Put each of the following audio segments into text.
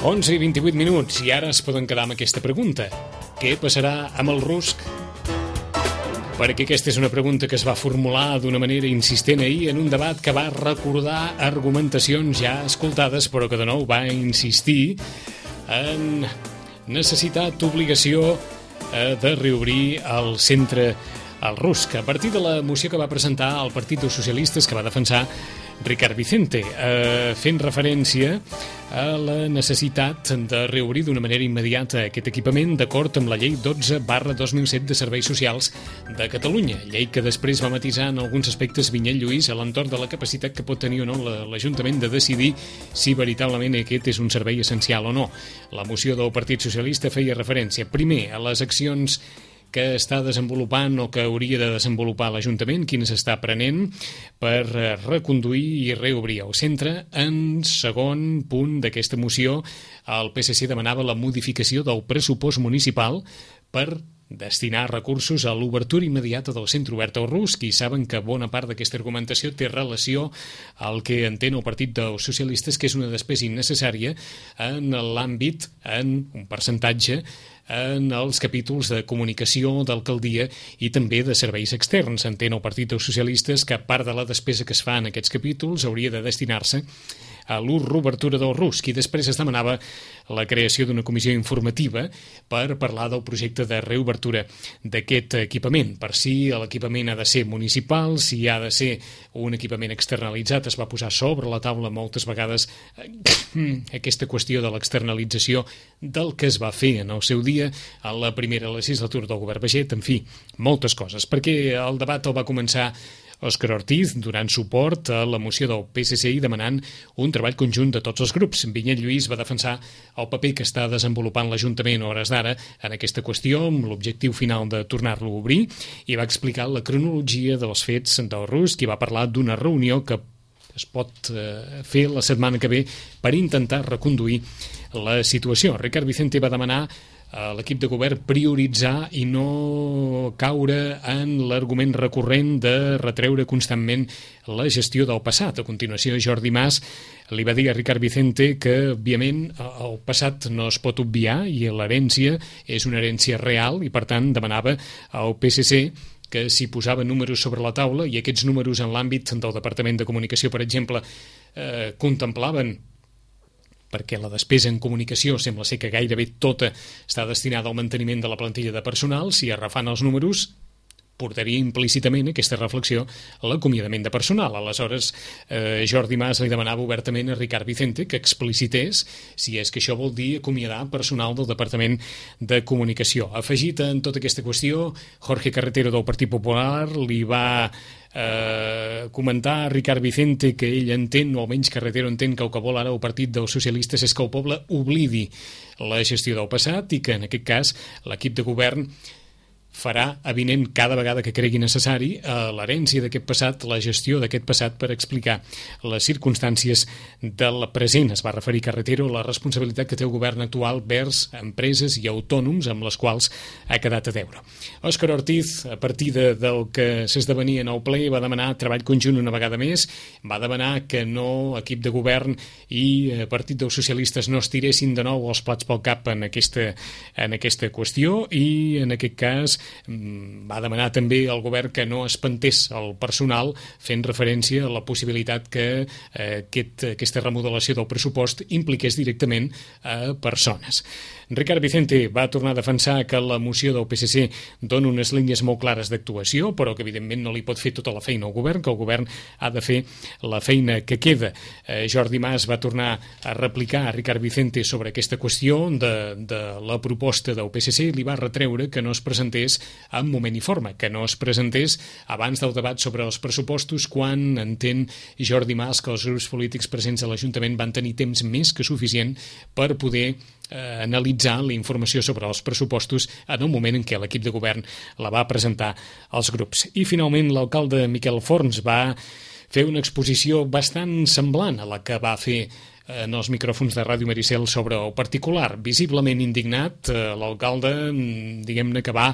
11 i 28 minuts, i ara es poden quedar amb aquesta pregunta. Què passarà amb el rusc? Perquè aquesta és una pregunta que es va formular d'una manera insistent ahir en un debat que va recordar argumentacions ja escoltades, però que de nou va insistir en necessitat, obligació de reobrir el centre al rusc, a partir de la moció que va presentar el Partit dels Socialistes, que va defensar Ricard Vicente, fent referència a la necessitat de reobrir d'una manera immediata aquest equipament d'acord amb la llei 12/2007 de Serveis Socials de Catalunya, llei que després va matisar en alguns aspectes Vinyet Lluís a l'entorn de la capacitat que pot tenir o no l'Ajuntament de decidir si veritablement aquest és un servei essencial o no. La moció del Partit Socialista feia referència, primer, a les accions que està desenvolupant o que hauria de desenvolupar l'Ajuntament, quines està prenent per reconduir i reobrir el centre. En segon punt d'aquesta moció, el PSC demanava la modificació del pressupost municipal per destinar recursos a l'obertura immediata del centre obert al rusc, i saben que bona part d'aquesta argumentació té relació al que entén el Partit dels Socialistes, que és una despesa innecessària en l'àmbit, en un percentatge, en els capítols de comunicació d'alcaldia i també de serveis externs. Entén el Partit dels Socialistes que part de la despesa que es fa en aquests capítols hauria de destinar-se a l'obertura del rusc, i després es demanava la creació d'una comissió informativa per parlar del projecte de reobertura d'aquest equipament, per si l'equipament ha de ser municipal, si ha de ser un equipament externalitzat. Es va posar sobre la taula moltes vegades aquesta qüestió de l'externalització del que es va fer en el seu dia a la primera legislatura del govern Baiget, en fi, moltes coses, perquè el debat el va començar Òscar Ortiz donant suport a la moció del PSC i demanant un treball conjunt de tots els grups. Vinyet Lluís va defensar el paper que està desenvolupant l'Ajuntament a hores d'ara en aquesta qüestió, amb l'objectiu final de tornar-lo a obrir, i va explicar la cronologia dels fets del rusc i va parlar d'una reunió que es pot fer la setmana que ve per intentar reconduir la situació. Ricard Vicente va demanar a l'equip de govern prioritzar i no caure en l'argument recurrent de retreure constantment la gestió del passat. A continuació, Jordi Mas li va dir a Ricard Vicente que, òbviament, el passat no es pot obviar i l'herència és una herència real, i, per tant, demanava al PSC que s'hi posava números sobre la taula, i aquests números en l'àmbit del Departament de Comunicació, per exemple, contemplaven, perquè la despesa en comunicació sembla ser que gairebé tota està destinada al manteniment de la plantilla de personal, si arrafant els números portaria implícitament aquesta reflexió a l'acomiadament de personal. Aleshores, Jordi Mas li demanava obertament a Ricard Vicente que explicités si és que això vol dir acomiadar personal del Departament de Comunicació. Afegit en tota aquesta qüestió, Jorge Carretero del Partit Popular li va comentar a Ricard Vicente que ell entén, o almenys Carretero entén, que el que vol ara el Partit dels Socialistes és que el poble oblidi la gestió del passat i que en aquest cas l'equip de govern farà avinent cada vegada que cregui necessari l'herència d'aquest passat, la gestió d'aquest passat, per explicar les circumstàncies del present. Es va referir Carretero a la responsabilitat que té el govern actual vers empreses i autònoms amb les quals ha quedat a deure. Òscar Ortiz, a partir del que s'esdevenia en el ple, va demanar treball conjunt una vegada més, va demanar que no equip de govern i Partit dels Socialistes no es tiressin de nou els plats pel cap en aquesta qüestió, i en aquest cas va demanar també al govern que no espantés el personal, fent referència a la possibilitat que aquesta remodelació del pressupost impliqués directament a persones. Ricard Vicente va tornar a defensar que la moció del PSC dona unes línies molt clares d'actuació, però que evidentment no li pot fer tota la feina al govern, que el govern ha de fer la feina que queda. Jordi Mas va tornar a replicar a Ricard Vicente sobre aquesta qüestió de la proposta del PSC, li va retreure que no es presentés en moment i forma, que no es presentés abans del debat sobre els pressupostos, quan entén Jordi Mas que els grups polítics presents a l'Ajuntament van tenir temps més que suficient per poder analitzar la informació sobre els pressupostos en el moment en què l'equip de govern la va presentar als grups. I finalment l'alcalde Miquel Forns va fer una exposició bastant semblant a la que va fer en els micròfons de Ràdio Maricel sobre el particular. Visiblement indignat, l'alcalde, diguem-ne que va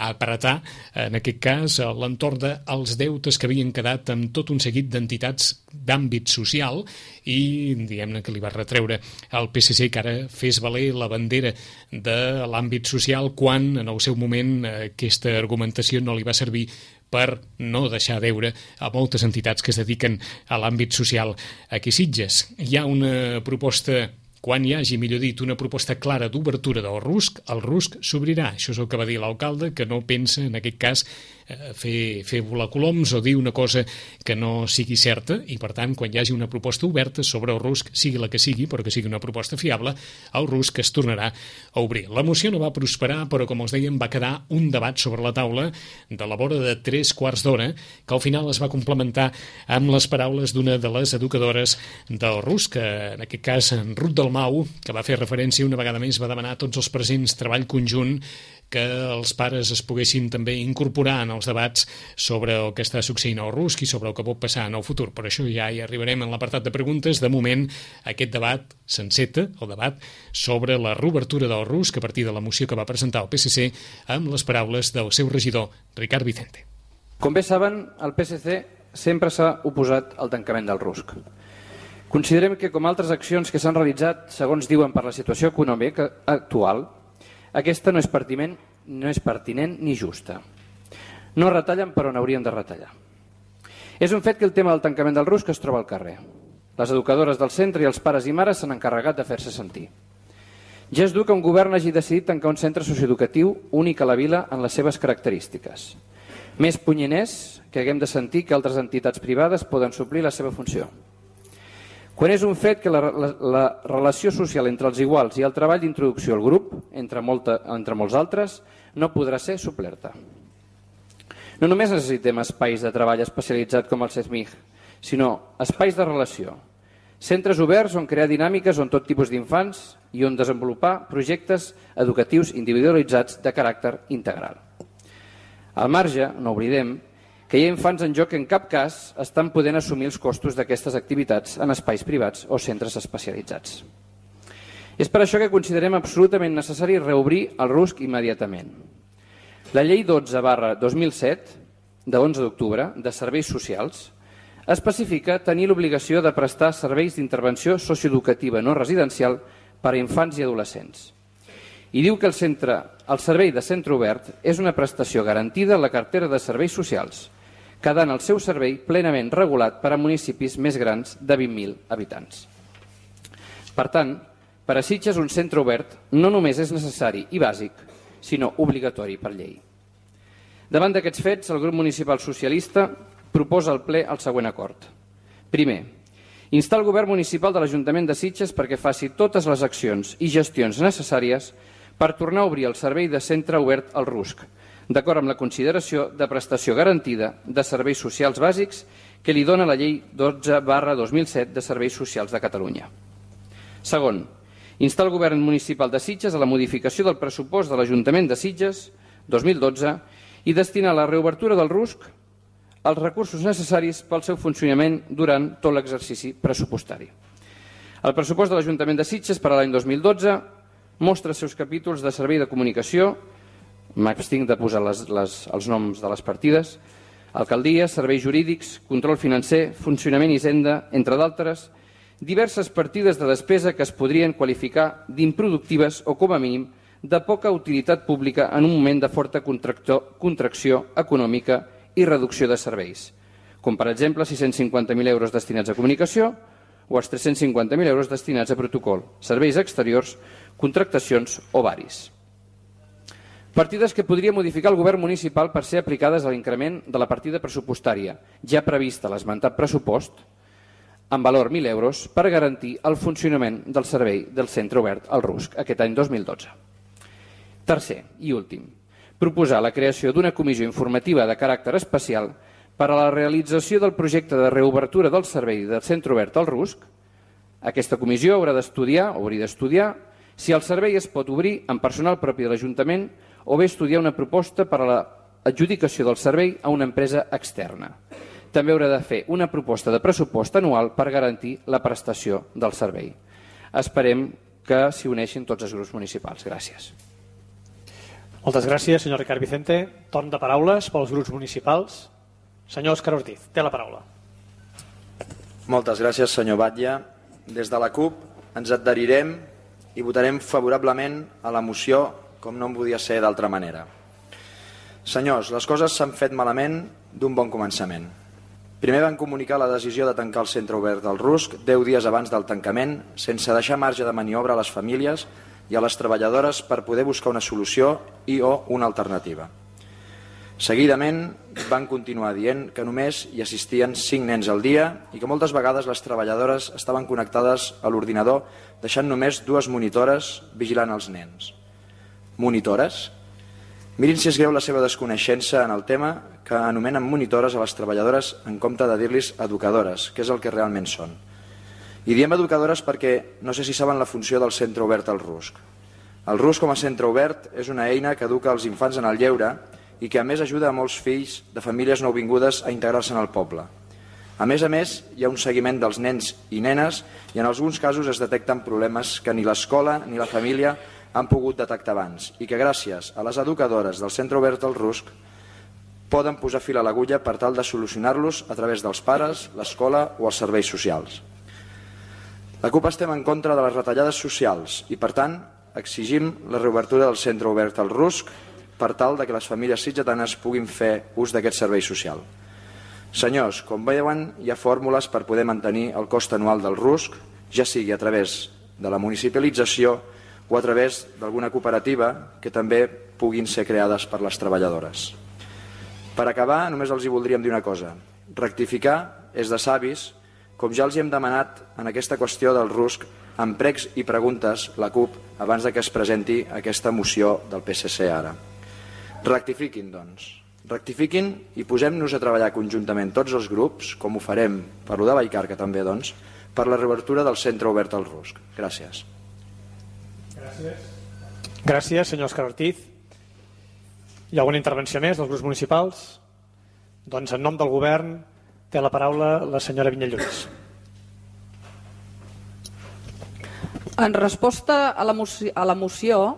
apretar, en aquest cas, l'entorn dels deutes que havien quedat amb tot un seguit d'entitats d'àmbit social i, diguem-ne, que li va retreure al PSC que ara fes valer la bandera de l'àmbit social quan, en el seu moment, aquesta argumentació no li va servir per no deixar deure a moltes entitats que es dediquen a l'àmbit social aquí a Sitges. Hi ha una proposta, quan hi hagi, millor dit, una proposta clara d'obertura del RUSC, el RUSC s'obrirà. Això és el que va dir l'alcalde, que no pensa, en aquest cas, fer volar coloms o dir una cosa que no sigui certa i, per tant, quan hi hagi una proposta oberta sobre el RUSC, sigui la que sigui, però que sigui una proposta fiable, el RUSC es tornarà a obrir. La moció no va prosperar, però, com els dèiem, va quedar un debat sobre la taula de la vora de 3/4 d'hora, que al final es va complementar amb les paraules d'una de les educadores del RUSC, en aquest cas, en Ruth Dalmau, que va fer referència una vegada més, va demanar a tots els presents treball conjunt que els pares es poguessin també incorporar en els debats sobre el que està succeint al RUSC i sobre el que pot passar en el futur. Per això ja hi arribarem en l'apartat de preguntes. De moment, aquest debat s'enceta, el debat sobre la reobertura del RUSC a partir de la moció que va presentar el PSC amb les paraules del seu regidor, Ricard Vicente. Com bé saben, el PSC sempre s'ha oposat al tancament del RUSC. Considerem que, com altres accions que s'han realitzat, segons diuen per la situació econòmica actual, aquesta no és pertinent ni justa. No retallen per on haurien de retallar. És un fet que el tema del tancament del RUSC es troba al carrer. Les educadores del centre i els pares i mares s'han encarregat de fer-se sentir. Ja és dur que un govern hagi decidit tancar un centre socioeducatiu únic a la vila en les seves característiques. Més punyent és que haguem de sentir que altres entitats privades poden suplir la seva funció. Quan és un fet que la relació social entre els iguals i el treball d'introducció al grup, entre molts altres, no podrà ser suplerta. No només necessitem espais de treball especialitzat com el CESMIG, sinó espais de relació, centres oberts on crear dinàmiques on tot tipus d'infants i on desenvolupar projectes educatius individualitzats de caràcter integral. Al marge, no oblidem, que hi ha infants en joc que en cap cas estan podent assumir els costos d'aquestes activitats en espais privats o centres especialitzats. És per això que considerem absolutament necessari reobrir el RUSC immediatament. La llei 12/2007, de 11 d'octubre, de serveis socials, especifica tenir l'obligació de prestar serveis d'intervenció socioeducativa no residencial per a infants i adolescents. I diu que el servei de centre obert és una prestació garantida en la cartera de serveis socials, quedant el seu servei plenament regulat per a municipis més grans de 20.000 habitants. Per tant, per a Sitges un centre obert no només és necessari i bàsic, sinó obligatori per llei. Davant d'aquests fets, el grup municipal socialista proposa al ple el següent acord. Primer, instar el govern municipal de l'Ajuntament de Sitges perquè faci totes les accions i gestions necessàries per tornar a obrir el servei de centre obert al RUSC, d'acord amb la consideració de prestació garantida de serveis socials bàsics que li dona la llei 12/2007 de serveis socials de Catalunya. Segon, instar el govern municipal de Sitges a la modificació del pressupost de l'Ajuntament de Sitges 2012 i destinar a la reobertura del RUSC els recursos necessaris pel seu funcionament durant tot l'exercici pressupostari. El pressupost de l'Ajuntament de Sitges per a l'any 2012 mostra els seus capítols de servei de comunicació, m'abstinc de posar els noms de les partides, alcaldia, serveis jurídics, control financer, funcionament i hisenda, entre d'altres, diverses partides de despesa que es podrien qualificar d'improductives o, com a mínim, de poca utilitat pública en un moment de forta contracció econòmica i reducció de serveis, com per exemple 650.000 euros destinats a comunicació o els 350.000 euros destinats a protocol, serveis exteriors, contractacions o varis. Partides que podria modificar el govern municipal per ser aplicades a l'increment de la partida pressupostària, ja prevista a l'esmentat pressupost, en valor 1.000 euros, per garantir el funcionament del servei del centre obert al RUSC aquest any 2012. Tercer i últim, proposar la creació d'una comissió informativa de caràcter especial per a la realització del projecte de reobertura del servei del centre obert al RUSC. Aquesta comissió haurà d'estudiar si el servei es pot obrir amb personal propi de l'Ajuntament o bé estudiar una proposta per a l'adjudicació del servei a una empresa externa. també haurà de fer una proposta de pressupost anual per garantir la prestació del servei. Esperem que s'hi uneixin tots els grups municipals. Gràcies. Moltes gràcies, senyor Ricard Vicente. Torn de paraules pels grups municipals. Senyor Òscar Ortiz, té la paraula. Moltes gràcies, senyor Batlle. Des de la CUP ens adherirem i votarem favorablement a la moció, com no en podia ser d'altra manera. Senyors, les coses s'han fet malament d'un bon començament. Primer van comunicar la decisió de tancar el centre obert del Rusc 10 dies abans del tancament, sense deixar marge de maniobra a les famílies i a les treballadores per poder buscar una solució i o una alternativa. Seguidament van continuar dient que només hi assistien 5 nens al dia i que moltes vegades les treballadores estaven connectades a l'ordinador deixant només 2 monitores vigilant els nens. Monitores? Mirin si és greu la seva desconeixença en el tema, que anomenen monitores a les treballadores en compte de dir-los educadores, que és el que realment són. I diem educadores perquè no sé si saben la funció del centre obert al Rusc. El Rusc com a centre obert és una eina que educa els infants en el lleure i que a més ajuda a molts fills de famílies nouvingudes a integrar-se en el poble. A més, hi ha un seguiment dels nens i nenes i en alguns casos es detecten problemes que ni l'escola ni la família han pogut detectar abans i que gràcies a les educadores del centre obert al Rusc poden posar fil a l'agulla per tal de solucionar-los a través dels pares, l'escola o els serveis socials. La CUP estem en contra de les retallades socials i, per tant, exigim la reobertura del centre obert al Rusc per tal que les famílies sitgetanes puguin fer ús d'aquest servei social. Senyors, com veuen, hi ha fórmules per poder mantenir el cost anual del Rusc, ja sigui a través de la municipalització o a través d'alguna cooperativa que també puguin ser creades per les treballadores. Per acabar, només els hi voldríem dir una cosa. Rectificar és de savis, com ja els hi hem demanat en aquesta qüestió del Rusc amb pregs i preguntes la CUP abans que es presenti aquesta moció del PSC ara. Rectifiquin, doncs. Rectifiquin i posem-nos a treballar conjuntament tots els grups, com ho farem per lo de Vallcarca també, doncs, per la reobertura del centre obert al Rusc. Gràcies. Gràcies, senyor Òscar Ortiz. Hi ha alguna intervenció més dels grups municipals? Doncs en nom del govern té la paraula la senyora Vinyalluís. En resposta a la moció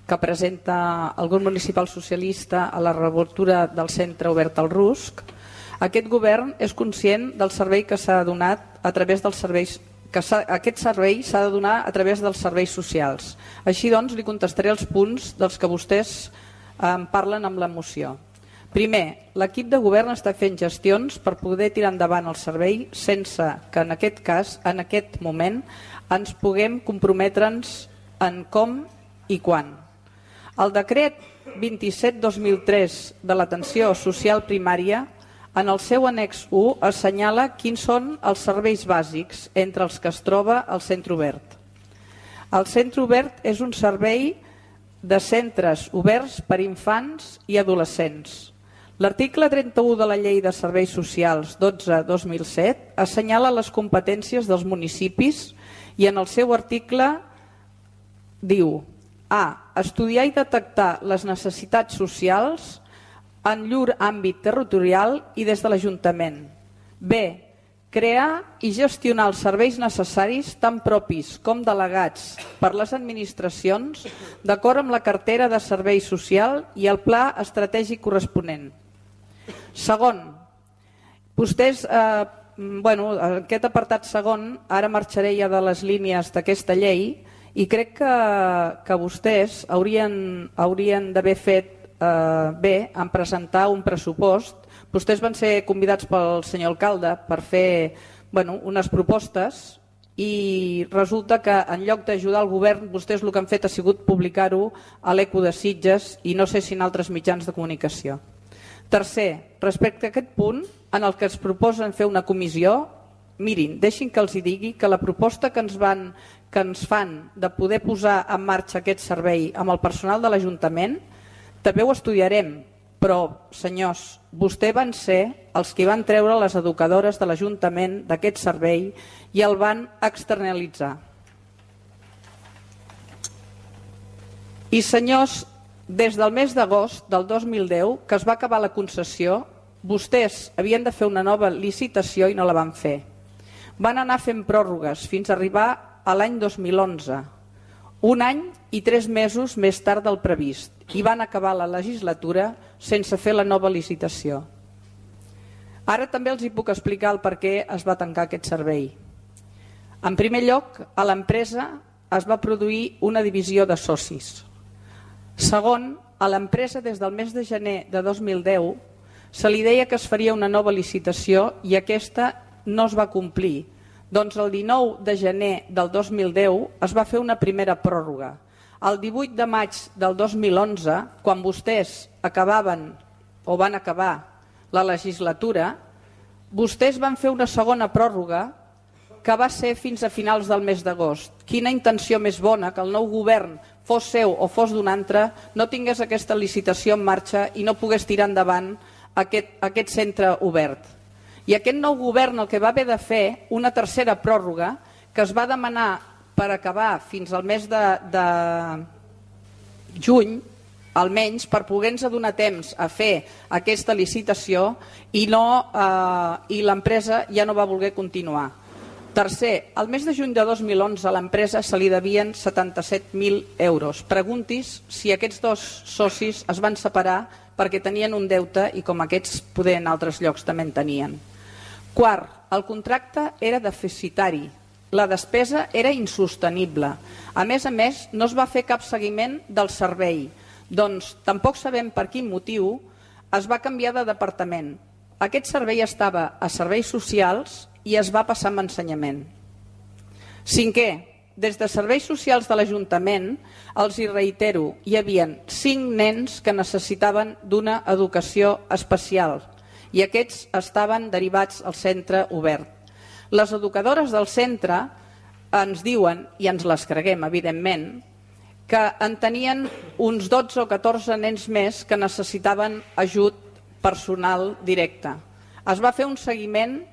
que presenta el grup municipal socialista a la reobertura del centre obert al Rusc, aquest govern és conscient del servei que s'ha donat a través dels serveis aquest servei s'ha de donar a través dels serveis socials. Així doncs, li contestaré els punts dels que vostès parlen amb la moció. Primer, l'equip de govern està fent gestions per poder tirar endavant el servei sense que en aquest cas, en aquest moment, ens puguem comprometre'ns en com i quan. El decret 27/2003 de l'atenció social primària en el seu annex 1 assenyala quins són els serveis bàsics entre els que es troba el centre obert. El centre obert és un servei de centres oberts per infants i adolescents. L'article 31 de la Llei de Serveis Socials 12/2007 assenyala les competències dels municipis i en el seu article diu: A. Estudiar i detectar les necessitats socials en llur àmbit territorial i des de l'Ajuntament. B. Crear i gestionar els serveis necessaris tant propis com delegats per les administracions d'acord amb la cartera de servei social i el pla estratègic corresponent. Segon, vostès, aquest apartat segon, ara marxaré ja de les línies d'aquesta llei i crec que vostès haurien d'haver fet bé en presentar un pressupost. Vostès van ser convidats pel senyor alcalde per fer unes propostes i resulta que en lloc d'ajudar el govern vostès el que han fet ha sigut publicar-ho a l'Eco de Sitges i no sé si en altres mitjans de comunicació. Tercer, respecte a aquest punt en el que es proposen fer una comissió, mirin, deixin que els digui que la proposta que ens fan de poder posar en marxa aquest servei amb el personal de l'Ajuntament també ho estudiarem, però, senyors, vostès van ser els que van treure les educadores de l'Ajuntament d'aquest servei i el van externalitzar. I, senyors, des del mes d'agost del 2010, que es va acabar la concessió, vostès havien de fer una nova licitació i no la van fer. Van anar fent pròrrogues fins a arribar a l'any 2011, un any i 3 mesos més tard del previst, i van acabar la legislatura sense fer la nova licitació. Ara també els hi puc explicar el per què es va tancar aquest servei. En primer lloc, a l'empresa es va produir una divisió de socis. Segon, a l'empresa des del mes de gener de 2010 se li deia que es faria una nova licitació i aquesta no es va complir. Doncs el 19 de gener del 2010 es va fer una primera pròrroga. El 18 de maig del 2011, quan vostès acabaven o van acabar la legislatura, vostès van fer una segona pròrroga que va ser fins a finals del mes d'agost. Quina intenció més bona que el nou govern, fos seu o fos d'un altre, no tingués aquesta licitació en marxa i no pogués tirar endavant aquest centre obert. I aquest nou govern el que va haver de fer una tercera pròrroga que es va demanar per acabar fins al mes de juny, almenys per poder-nos donar temps a fer aquesta licitació i l'empresa ja no va voler continuar. Tercer, al mes de juny de 2011 a l'empresa se li devien 77.000 euros. Preguntis si aquests dos socis es van separar perquè tenien un deute i com aquests poder en altres llocs també en tenien. Quart, el contracte era deficitari. La despesa era insostenible. A més, no es va fer cap seguiment del servei. Doncs tampoc sabem per quin motiu es va canviar de departament. Aquest servei estava a serveis socials i es va passar a ensenyament. Cinquè, des de serveis socials de l'Ajuntament, els hi reitero, hi havia 5 nens que necessitaven d'una educació especial i aquests estaven derivats al centre obert. Les educadores del centre ens diuen, i ens les creguem evidentment, que en tenien uns 12 o 14 nens més que necessitaven ajut personal directe. Es va fer un seguiment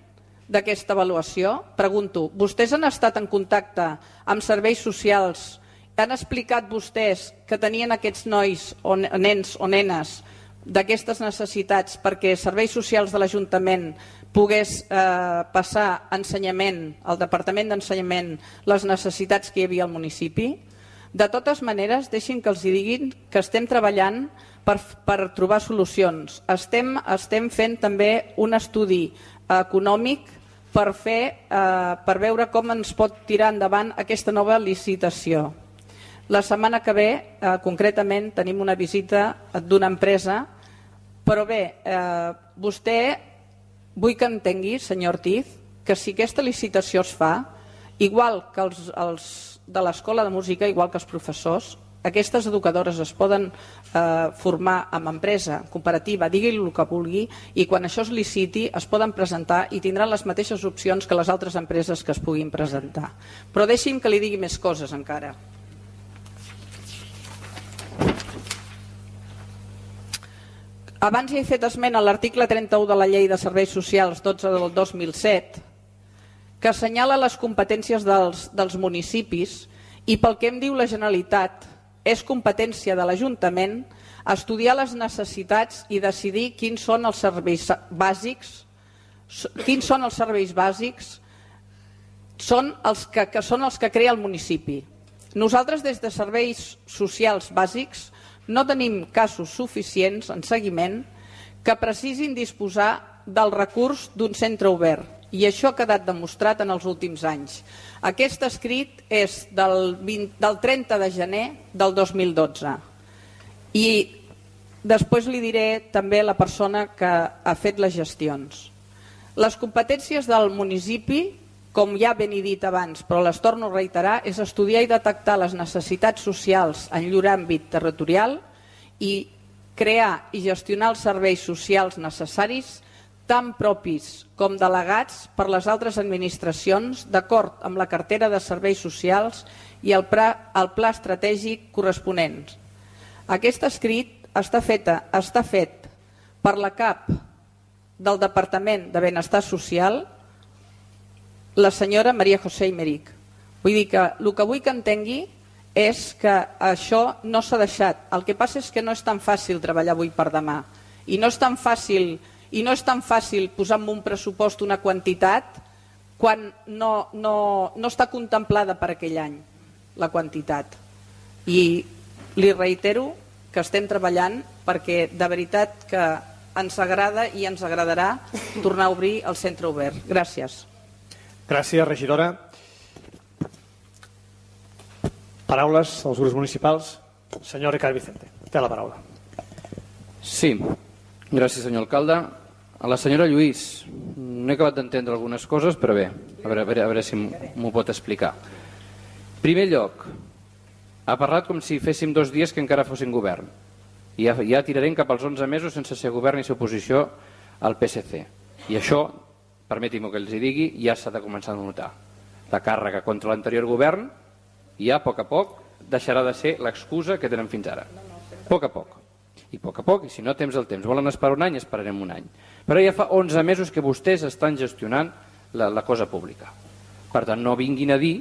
d'aquesta avaluació? Pregunto, vostès han estat en contacte amb serveis socials? Han explicat vostès que tenien aquests nois o nens o nenes d'aquestes necessitats perquè serveis socials de l'Ajuntament pogués passar a ensenyament, al Departament d'Ensenyament, les necessitats que hi havia al municipi? De totes maneres, deixin que els diguin que estem treballant per trobar solucions. Estem fent també un estudi econòmic per veure com ens pot tirar endavant aquesta nova licitació. La setmana que ve, concretament, tenim una visita d'una empresa, però bé, vostè vull que entengui, senyor Ortiz, que si aquesta licitació es fa, igual que els de l'escola de música, igual que els professors, aquestes educadores es poden formar amb empresa, cooperativa, digui-li el que vulgui, i quan això es liciti es poden presentar i tindran les mateixes opcions que les altres empreses que es puguin presentar. Però deixi'm que li digui més coses encara. Abans hi he fet esment a l'article 31 de la Llei de Serveis Socials 12 del 2007, que assenyala les competències dels municipis i pel que em diu la Generalitat és competència de l'Ajuntament estudiar les necessitats i decidir quins són els serveis bàsics, són els que crea el municipi. Nosaltres des de serveis socials bàsics no tenim casos suficients en seguiment que precisin disposar del recurs d'un centre obert. I això ha quedat demostrat en els últims anys. Aquest escrit és del 30 de gener del 2012. I després li diré també la persona que ha fet les gestions. Les competències del municipi, com ja ben he dit abans, però les torno a reiterar, és estudiar i detectar les necessitats socials en llur àmbit territorial i crear i gestionar els serveis socials necessaris tant propis com delegats per les altres administracions d'acord amb la cartera de serveis socials i el pla estratègic corresponent. Aquest escrit està fet per la cap del Departament de Benestar Social, la senyora Maria José Imeric. Vull dir que el que vull que entengui és que això no s'ha deixat. El que passa és que no és tan fàcil treballar avui per demà i no és tan fàcil i no és tan fàcil posar en un pressupost una quantitat quan no està contemplada per aquell any la quantitat. I li reitero que estem treballant perquè de veritat que ens agrada i ens agradarà tornar a obrir el centre obert. Gràcies. Gràcies, regidora. Paraules als grups municipals. Senyor Ricard Vicente, té la paraula. Sí, gràcies senyor alcalde. A la senyora Lluís, no he acabat d'entendre algunes coses, però bé, a veure si m'ho pot explicar. En primer lloc, ha parlat com si féssim 2 dies que encara fossin govern. I ja tirarem cap als 11 mesos sense ser govern i ser oposició al PSC. I això, permeti'm que els hi digui, ja s'ha de començar a notar. La càrrega contra l'anterior govern ja a poc deixarà de ser l'excusa que tenen fins ara. A poc. I a poc, i si no temps el temps. Volen esperar un any, esperarem un any. Però ja fa 11 mesos que vostès estan gestionant la cosa pública. Per tant, no vinguin a dir,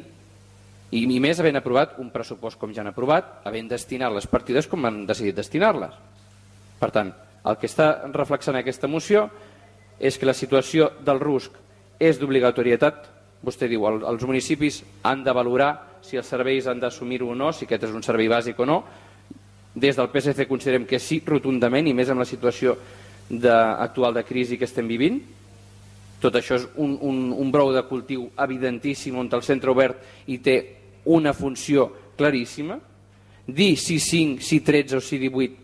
i més havent aprovat un pressupost com ja han aprovat, havent destinat les partides com han decidit destinar-les. Per tant, el que està reflexant aquesta moció és que la situació del RUSC és d'obligatorietat. Vostè diu, els municipis han de valorar si els serveis han d'assumir-ho o no, si aquest és un servei bàsic o no. Des del PSC considerem que sí, rotundament, i més amb la situació actual de crisi que estem vivint. Tot això és un brou de cultiu evidentíssim on el centre obert hi té una funció claríssima. Dir si 5, si 13 o si 18,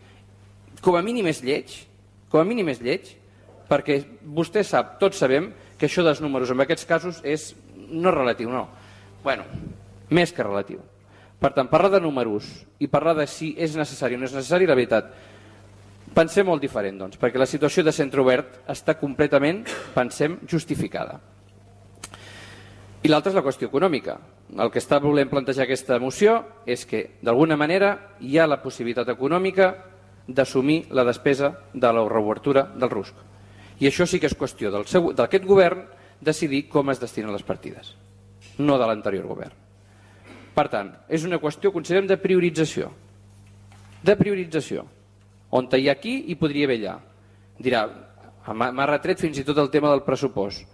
com a mínim és lleig, perquè vostè sap, tots sabem, que això dels números en aquests casos no és relatiu, no. Bueno, més que relatiu. Per tant, parlar de números i parlar de si és necessari o no és necessari, la veritat, pensem molt diferent, doncs, perquè la situació de centre obert està completament, pensem, justificada. I l'altra és la qüestió econòmica. El que està volent plantejar aquesta moció és que, d'alguna manera, hi ha la possibilitat econòmica d'assumir la despesa de la reobertura del RUSC. I això sí que és qüestió d'aquest govern decidir com es destinen les partides, no de l'anterior govern. Per tant, és una qüestió, considerem, de priorització. De priorització. On hi ha aquí, hi podria haver allà. Dirà, m'ha retret fins i tot el tema del pressupost.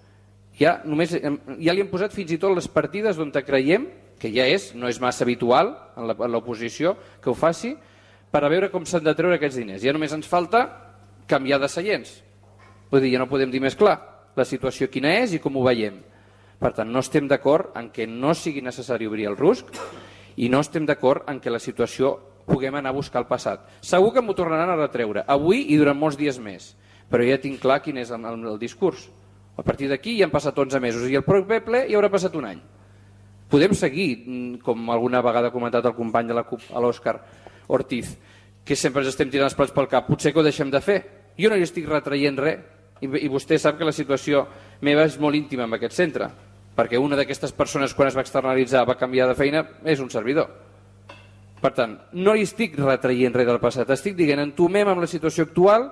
Ja li hem posat fins i tot les partides on creiem, que ja no és massa habitual en l'oposició que ho faci, per a veure com s'han de treure aquests diners. Ja només ens falta canviar de seients. Vull dir, ja no podem dir més clar la situació quina és i com ho veiem. Per tant, no estem d'acord en que no sigui necessari obrir el RUSC i no estem d'acord en que la situació puguem anar a buscar el passat. Segur que m'ho tornaran a retreure, avui i durant molts dies més, però ja tinc clar quin és el discurs. A partir d'aquí ja han passat 11 mesos i el proper ple ja haurà passat un any. Podem seguir, com alguna vegada ha comentat el company de la CUP, l'Òscar Ortiz, que sempre ens estem tirant els plats pel cap. Potser que ho deixem de fer. Jo no hi estic retraient res i vostè sap que la situació meva és molt íntima en aquest centre, perquè una d'aquestes persones quan es va externalitzar va canviar de feina és un servidor. Per tant, no hi estic retraient res del passat, estic dient entomem amb la situació actual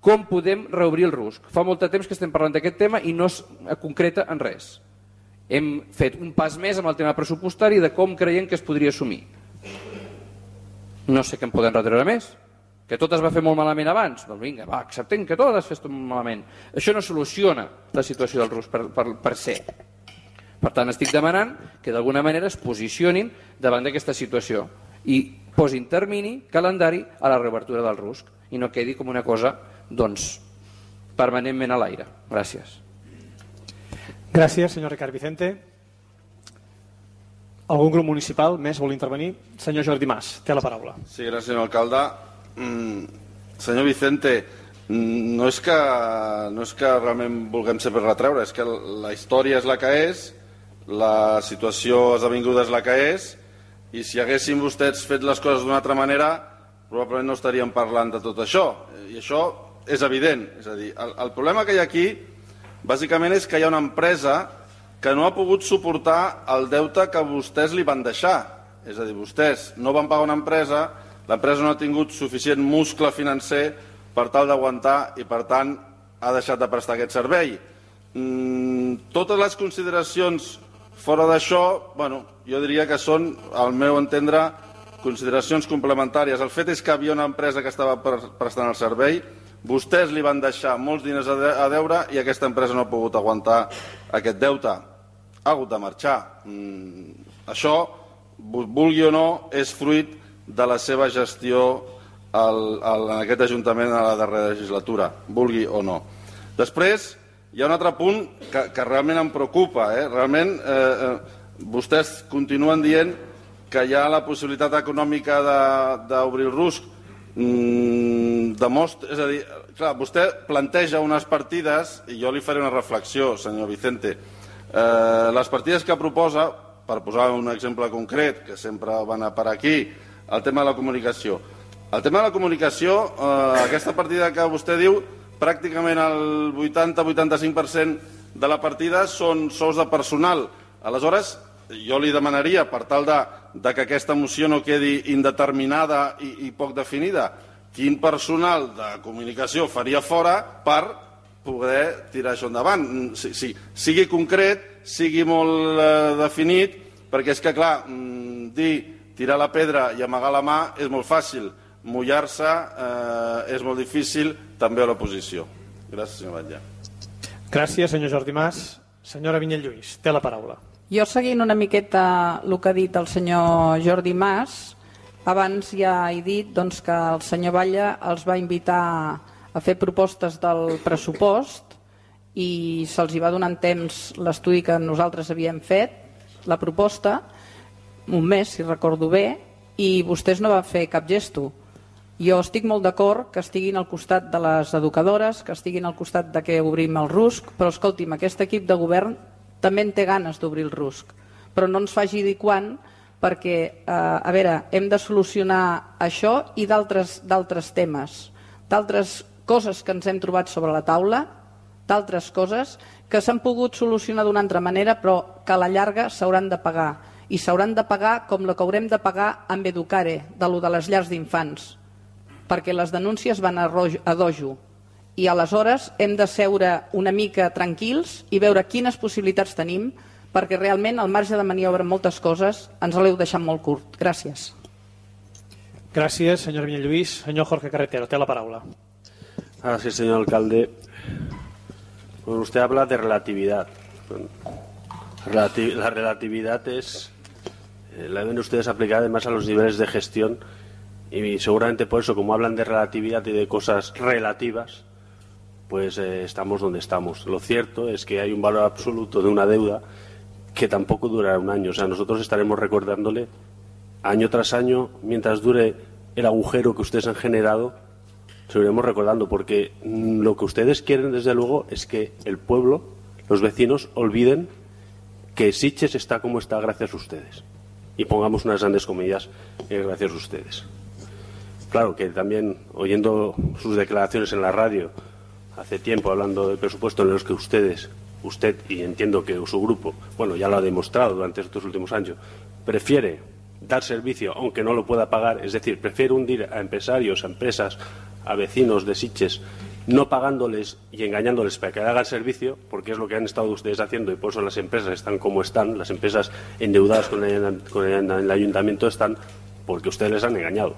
com podem reobrir el RUSC. Fa molt de temps que estem parlant d'aquest tema i no es concreta en res. Hem fet un pas més amb el tema pressupostari de com creiem que es podria assumir. No sé què en poden retreure més. Que tot es va fer molt malament abans? Doncs vinga, acceptem que tot es fes molt malament. Això no soluciona la situació del RUSC per ser. Per tant, estic demanant que d'alguna manera es posicionin davant d'aquesta situació i posin termini, calendari a la reobertura del RUSC i no quedi com una cosa, doncs, permanentment a l'aire. Gràcies. Gràcies, senyor Ricard Vicente. Algun grup municipal més vol intervenir? Senyor Jordi Mas, té la paraula. Sí, gràcies, senyor alcalde. Senyor Vicente, no és que realment vulguem sempre retreure, és que la història és la que és, la situació esdevinguda és la que és, i si haguessin vostès fet les coses d'una altra manera probablement no estaríem parlant de tot això, i això és evident. És a dir, el problema que hi ha aquí bàsicament és que hi ha una empresa que no ha pogut suportar el deute que vostès li van deixar. És a dir, vostès no van pagar una empresa, l'empresa no ha tingut suficient muscle financer per tal d'aguantar i per tant ha deixat de prestar aquest servei. Totes les consideracions fora d'això, jo diria que són, al meu entendre, consideracions complementàries. El fet és que hi havia una empresa que estava prestant el servei, Vostès li van deixar molts diners a deure i aquesta empresa no ha pogut aguantar aquest deute. Ha hagut de marxar. Això, vulgui o no, és fruit de la seva gestió en aquest Ajuntament a la darrera legislatura, vulgui o no. Després, hi ha un altre punt que realment em preocupa. Realment, vostès continuen dient que hi ha la possibilitat econòmica d'obrir el RUSC. És a dir, clar, vostè planteja unes partides i jo li faré una reflexió, senyor Vicente. Les partides que proposa, per posar un exemple concret, que sempre van a per aquí, el tema de la comunicació. El tema de la comunicació, aquesta partida que vostè diu, pràcticament el 80-85% de la partida són sous de personal. Aleshores, jo li demanaria, per tal de que aquesta moció no quedi indeterminada i poc definida, quin personal de comunicació faria fora per poder tirar això endavant. Sigui concret, sigui molt definit, perquè és que, clar, tirar la pedra i amagar la mà és molt fàcil, mullar-se és molt difícil, també a l'oposició. Gràcies, senyor Batlle. Gràcies, senyor Jordi Mas. Senyora Vinyet Lluís, té la paraula. Jo, seguint una miqueta el que ha dit el senyor Jordi Mas, abans ja he dit que el senyor Batlle els va invitar a fer propostes del pressupost i se'ls va donar en temps l'estudi que nosaltres havíem fet, la proposta, un mes, si recordo bé, i vostès no van fer cap gesto. Jo estic molt d'acord que estiguin al costat de les educadores, que estiguin al costat de que obrim el RUSC, però escolti'm, aquest equip de govern també en té ganes d'obrir el RUSC, però no ens faci dir quan, perquè, a veure, hem de solucionar això i d'altres temes, d'altres coses que ens hem trobat sobre la taula, d'altres coses que s'han pogut solucionar d'una altra manera, però que a la llarga s'hauran de pagar. I s'hauran de pagar com la que haurem de pagar amb Educare, de les llars d'infants, perquè les denúncies van a dojo. I aleshores hem de seure una mica tranquils i veure quines possibilitats tenim, perquè realment el marge de maniobra en moltes coses ens l'heu deixat molt curt. Gràcies. Gràcies, señor Viñet Lluís. Señor Jorge Carretero, té la paraula. Gracias, señor alcalde. Bueno, usted habla de relatividad. La relatividad la deben ustedes aplicar además a los niveles de gestión y seguramente por eso, como hablan de relatividad y de cosas relativas, pues estamos donde estamos. Lo cierto es que hay un valor absoluto de una deuda que tampoco durará un año. O sea, nosotros estaremos recordándole año tras año, mientras dure el agujero que ustedes han generado, seguiremos recordando, porque lo que ustedes quieren, desde luego, es que el pueblo, los vecinos, olviden que Sitges está como está gracias a ustedes. Y pongamos unas grandes comillas, gracias a ustedes. Claro que también, oyendo sus declaraciones en la radio, hace tiempo hablando del presupuesto en los que usted, y entiendo que su grupo, bueno, ya lo ha demostrado durante estos últimos años, prefiere dar servicio aunque no lo pueda pagar, es decir, prefiere hundir a empresarios, a empresas, a vecinos de Sitges, no pagándoles y engañándoles para que hagan servicio, porque es lo que han estado ustedes haciendo y por eso las empresas están como están, las empresas endeudadas con el ayuntamiento están porque ustedes les han engañado.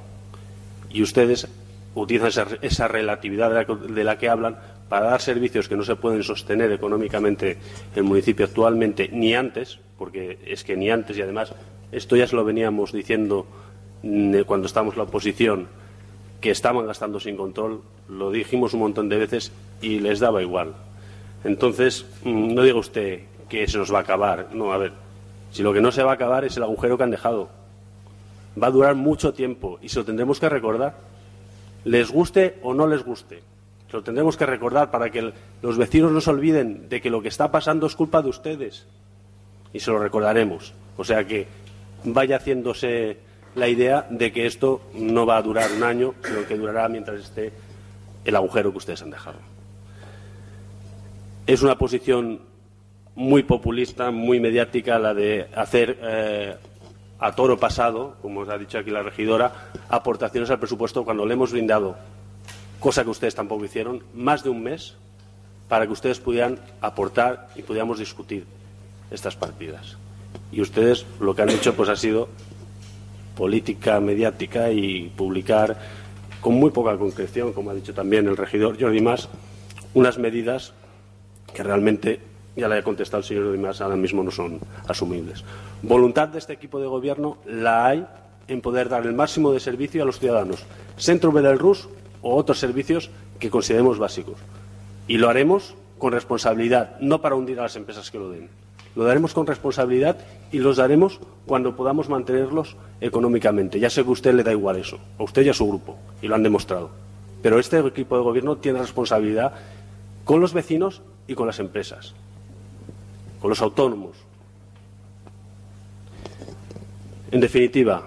Y ustedes utilizan esa relatividad de la que hablan para dar servicios que no se pueden sostener económicamente el municipio actualmente, ni antes, porque es que ni antes, y además esto ya se lo veníamos diciendo cuando estábamos en la oposición, que estaban gastando sin control, lo dijimos un montón de veces y les daba igual. Entonces, no diga usted que se nos va a acabar. No, a ver, si lo que no se va a acabar es el agujero que han dejado. Va a durar mucho tiempo y se lo tendremos que recordar. Les guste o no les guste. Se lo tendremos que recordar para que los vecinos no se olviden de que lo que está pasando es culpa de ustedes. Y se lo recordaremos. O sea que vaya haciéndose la idea de que esto no va a durar un año, sino que durará mientras esté el agujero que ustedes han dejado. Es una posición muy populista, muy mediática, la de hacer a toro pasado, como os ha dicho aquí la regidora, aportaciones al presupuesto cuando le hemos brindado, cosa que ustedes tampoco hicieron, más de un mes para que ustedes pudieran aportar y pudiéramos discutir estas partidas. Y ustedes lo que han hecho pues ha sido política mediática y publicar con muy poca concreción, como ha dicho también el regidor Jordi Mas, unas medidas que realmente, ya le he contestado el señor Jordi Mas, ahora mismo no son asumibles. Voluntad de este equipo de gobierno la hay en poder dar el máximo de servicio a los ciudadanos, Centro Ubera del Rus o otros servicios que consideremos básicos. Y lo haremos con responsabilidad, no para hundir a las empresas que lo den. Lo daremos con responsabilidad y los daremos cuando podamos mantenerlos económicamente. Ya sé que a usted le da igual eso, a usted y a su grupo, y lo han demostrado. Pero este equipo de gobierno tiene responsabilidad con los vecinos y con las empresas, con los autónomos. En definitiva,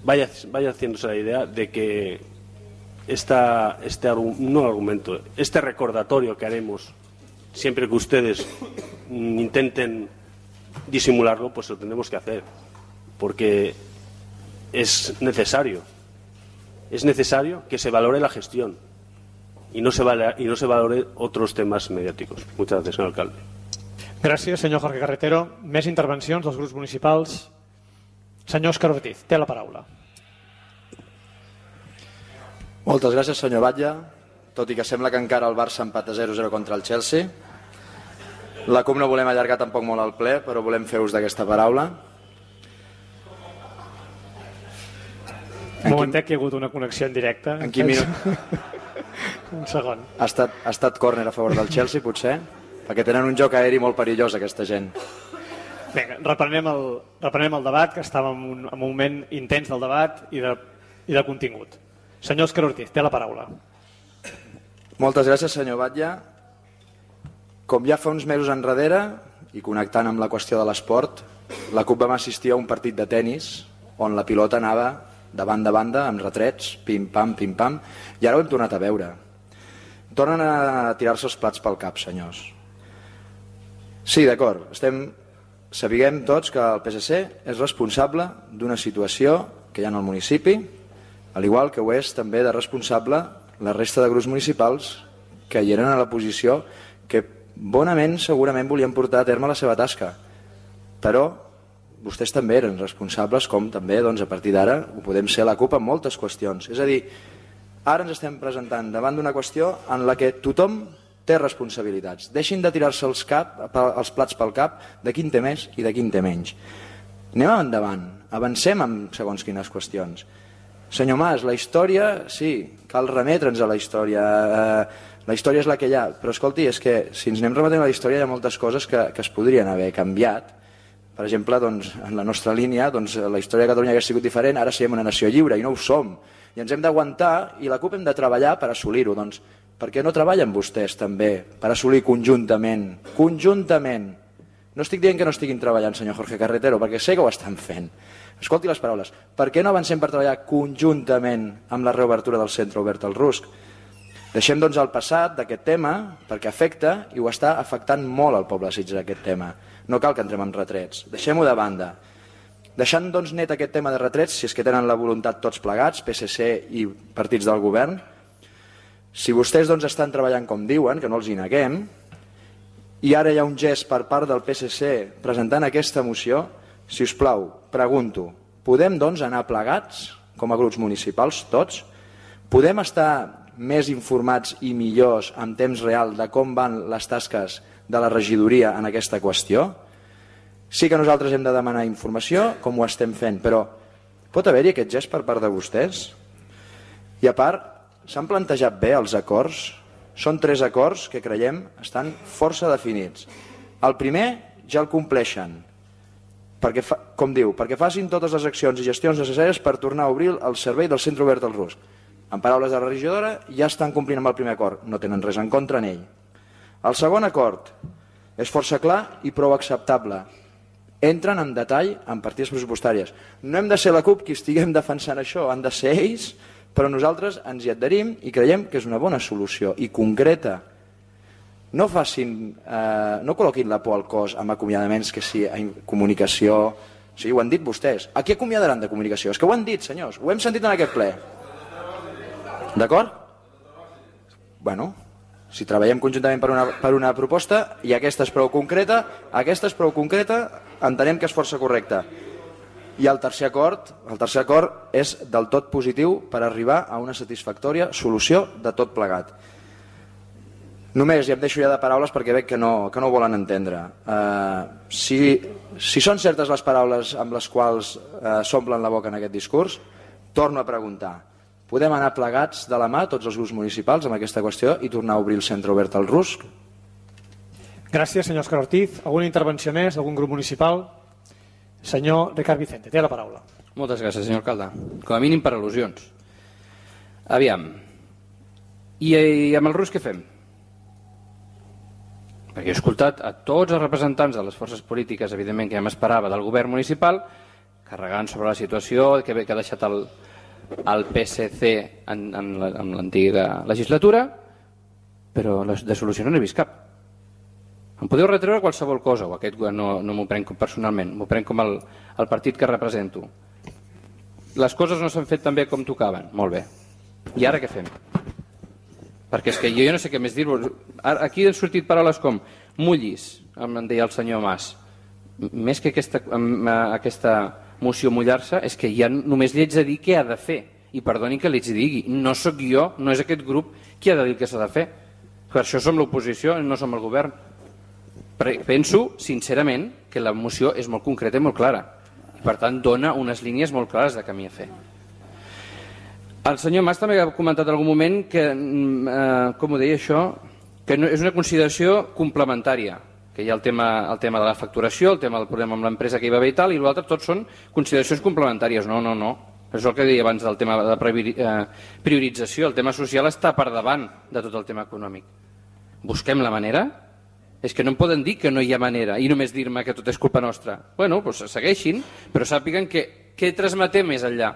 vaya haciéndose la idea de que este recordatorio que haremos siempre que ustedes intenten disimularlo, pues lo tendremos que hacer, porque es necesario que se valore la gestión y no se valore otros temas mediáticos. Muchas gracias, señor alcalde. Gràcies, senyor Jorge Carretero. Més intervencions dels grups municipals. Senyor Òscar Ortiz, té la paraula. Moltes gràcies, senyor Batlle. Tot i que sembla que encara el Barça empata 0-0 contra el Chelsea. La CUP no volem allargar tampoc molt el ple, però volem fer ús d'aquesta paraula. Un momentet que hi ha hagut una connexió en directe. En quin minut? Un segon. Ha estat córner a favor del Chelsea, potser? Perquè tenen un joc aeri molt perillós, aquesta gent. Vinga, reprenem el debat, que estàvem en un moment intens del debat i de contingut. Senyor Òscar Ortiz, té la paraula. Moltes gràcies, senyor Batlle. Com ja fa uns mesos enrere, i connectant amb la qüestió de l'esport, la CUP vam assistir a un partit de tennis on la pilota anava de banda a banda, amb retrets, pim-pam, pim-pam, i ara ho hem tornat a veure. Tornen a tirar-se els plats pel cap, senyors. Sí, d'acord, sapiguem tots que el PSC és responsable d'una situació que hi ha en el municipi, al igual que ho és també de responsable la resta de grups municipals que hi eren a la posició que bonament segurament volien portar a terme la seva tasca, però vostès també eren responsables, com també a partir d'ara ho podem ser la CUP en moltes qüestions. És a dir, ara ens estem presentant davant d'una qüestió en la que tothom té responsabilitats. Deixin de tirar-se els plats pel cap de qui en té més i de qui en té menys. Anem endavant, avancem amb segons quines qüestions. Senyor Mas, la història, sí, cal remetre'ns a la història. La història és la que hi ha, però escolti, és que si ens anem remetent a la història hi ha moltes coses que es podrien haver canviat. Per exemple, en la nostra línia, la història de Catalunya hauria sigut diferent, ara siguem una nació lliure i no ho som. I ens hem d'aguantar i la CUP hem de treballar per assolir-ho. Doncs per què no treballen vostès també per assolir conjuntament? Conjuntament. No estic dient que no estiguin treballant, senyor Jorge Carretero, perquè sé que ho estan fent. Escolti les paraules. Per què no avancem per treballar conjuntament amb la reobertura del Centre Obert al Rusc? Deixem el passat d'aquest tema perquè afecta i ho està afectant molt al poble de Sitges aquest tema. No cal que entrem en retrets. Deixem-ho de banda. Deixant net aquest tema de retrets, si és que tenen la voluntat tots plegats, PSC i partits del govern, si vostès estan treballant com diuen, que no els hi neguem, i ara hi ha un gest per part del PSC presentant aquesta moció, si us plau, pregunto, podem anar plegats com a grups municipals, tots? Podem estar més informats i millors en temps real de com van les tasques de la regidoria en aquesta qüestió? Sí que nosaltres hem de demanar informació, com ho estem fent, però pot haver-hi aquest gest per part de vostès? I a part, s'han plantejat bé els acords? Són 3 acords que creiem estan força definits. El primer ja el compleixen, perquè, com diu, perquè facin totes les accions i gestions necessàries per tornar a obrir el servei del Centre Obert al Rusc. En paraules de la regidora, ja estan complint amb el primer acord, no tenen res en contra en ell. El segon acord és força clar i prou acceptable. Entren en detall en partides pressupostàries. No hem de ser la CUP qui estiguem defensant això, han de ser ells, però nosaltres ens hi adherim i creiem que és una bona solució i concreta. No col·loquin la por al cos amb acomiadaments que sí, en comunicació. Sí, ho han dit vostès. A qui acomiadaran de comunicació? És que ho han dit, senyors, ho hem sentit en aquest ple. D'acord? Bueno, si treballem conjuntament per una proposta i aquesta és prou concreta, entenem que és força correcta. I el tercer acord és del tot positiu per arribar a una satisfactòria solució de tot plegat. Només, i em deixo ja de paraules perquè veig que no ho volen entendre. Si són certes les paraules amb les quals s'omplen la boca en aquest discurs, torno a preguntar, podem anar plegats de la mà tots els grups municipals amb aquesta qüestió i tornar a obrir el centre obert al RUSC? Gràcies, senyor Òscar Ortiz. Alguna intervenció més d'algun grup municipal? Senyor Ricard Vicente, té la paraula. Moltes gràcies, senyor alcalde. Com a mínim per al·lusions. Aviam. I amb el RUSC què fem? Perquè he escoltat a tots els representants de les forces polítiques, evidentment que ja m'esperava, del govern municipal, carregant sobre la situació que ha deixat el PSC en l'antiga legislatura, però de solució no n'he vist cap. Em podeu retreure qualsevol cosa, o aquest no m'ho prenc personalment, m'ho prenc com el partit que represento. Les coses no s'han fet tan bé com tocaven, molt bé. I ara què fem? Perquè és que jo no sé què més dir-vos. Aquí han sortit paraules com mullis, em deia el senyor Mas. Més que aquesta moció mullar-se, és que ja només li haig de dir què ha de fer. I perdoni que li digui, no sóc jo, no és aquest grup qui ha de dir què s'ha de fer. Per això som l'oposició i no som el govern. Penso, sincerament, que la moció és molt concreta i molt clara. I per tant, dona unes línies molt clares de camí a fer. El senyor Mas també ha comentat en algun moment que, com ho deia això, que és una consideració complementària, que hi ha el tema de la facturació, el tema del problema amb l'empresa que hi va haver i tal, i l'altre tots són consideracions complementàries. No. És el que deia abans del tema de priorització. El tema social està per davant de tot el tema econòmic. Busquem la manera? És que no em poden dir que no hi ha manera i només dir-me que tot és culpa nostra. Bueno, doncs segueixin, però sàpiguen que què transmetem més enllà?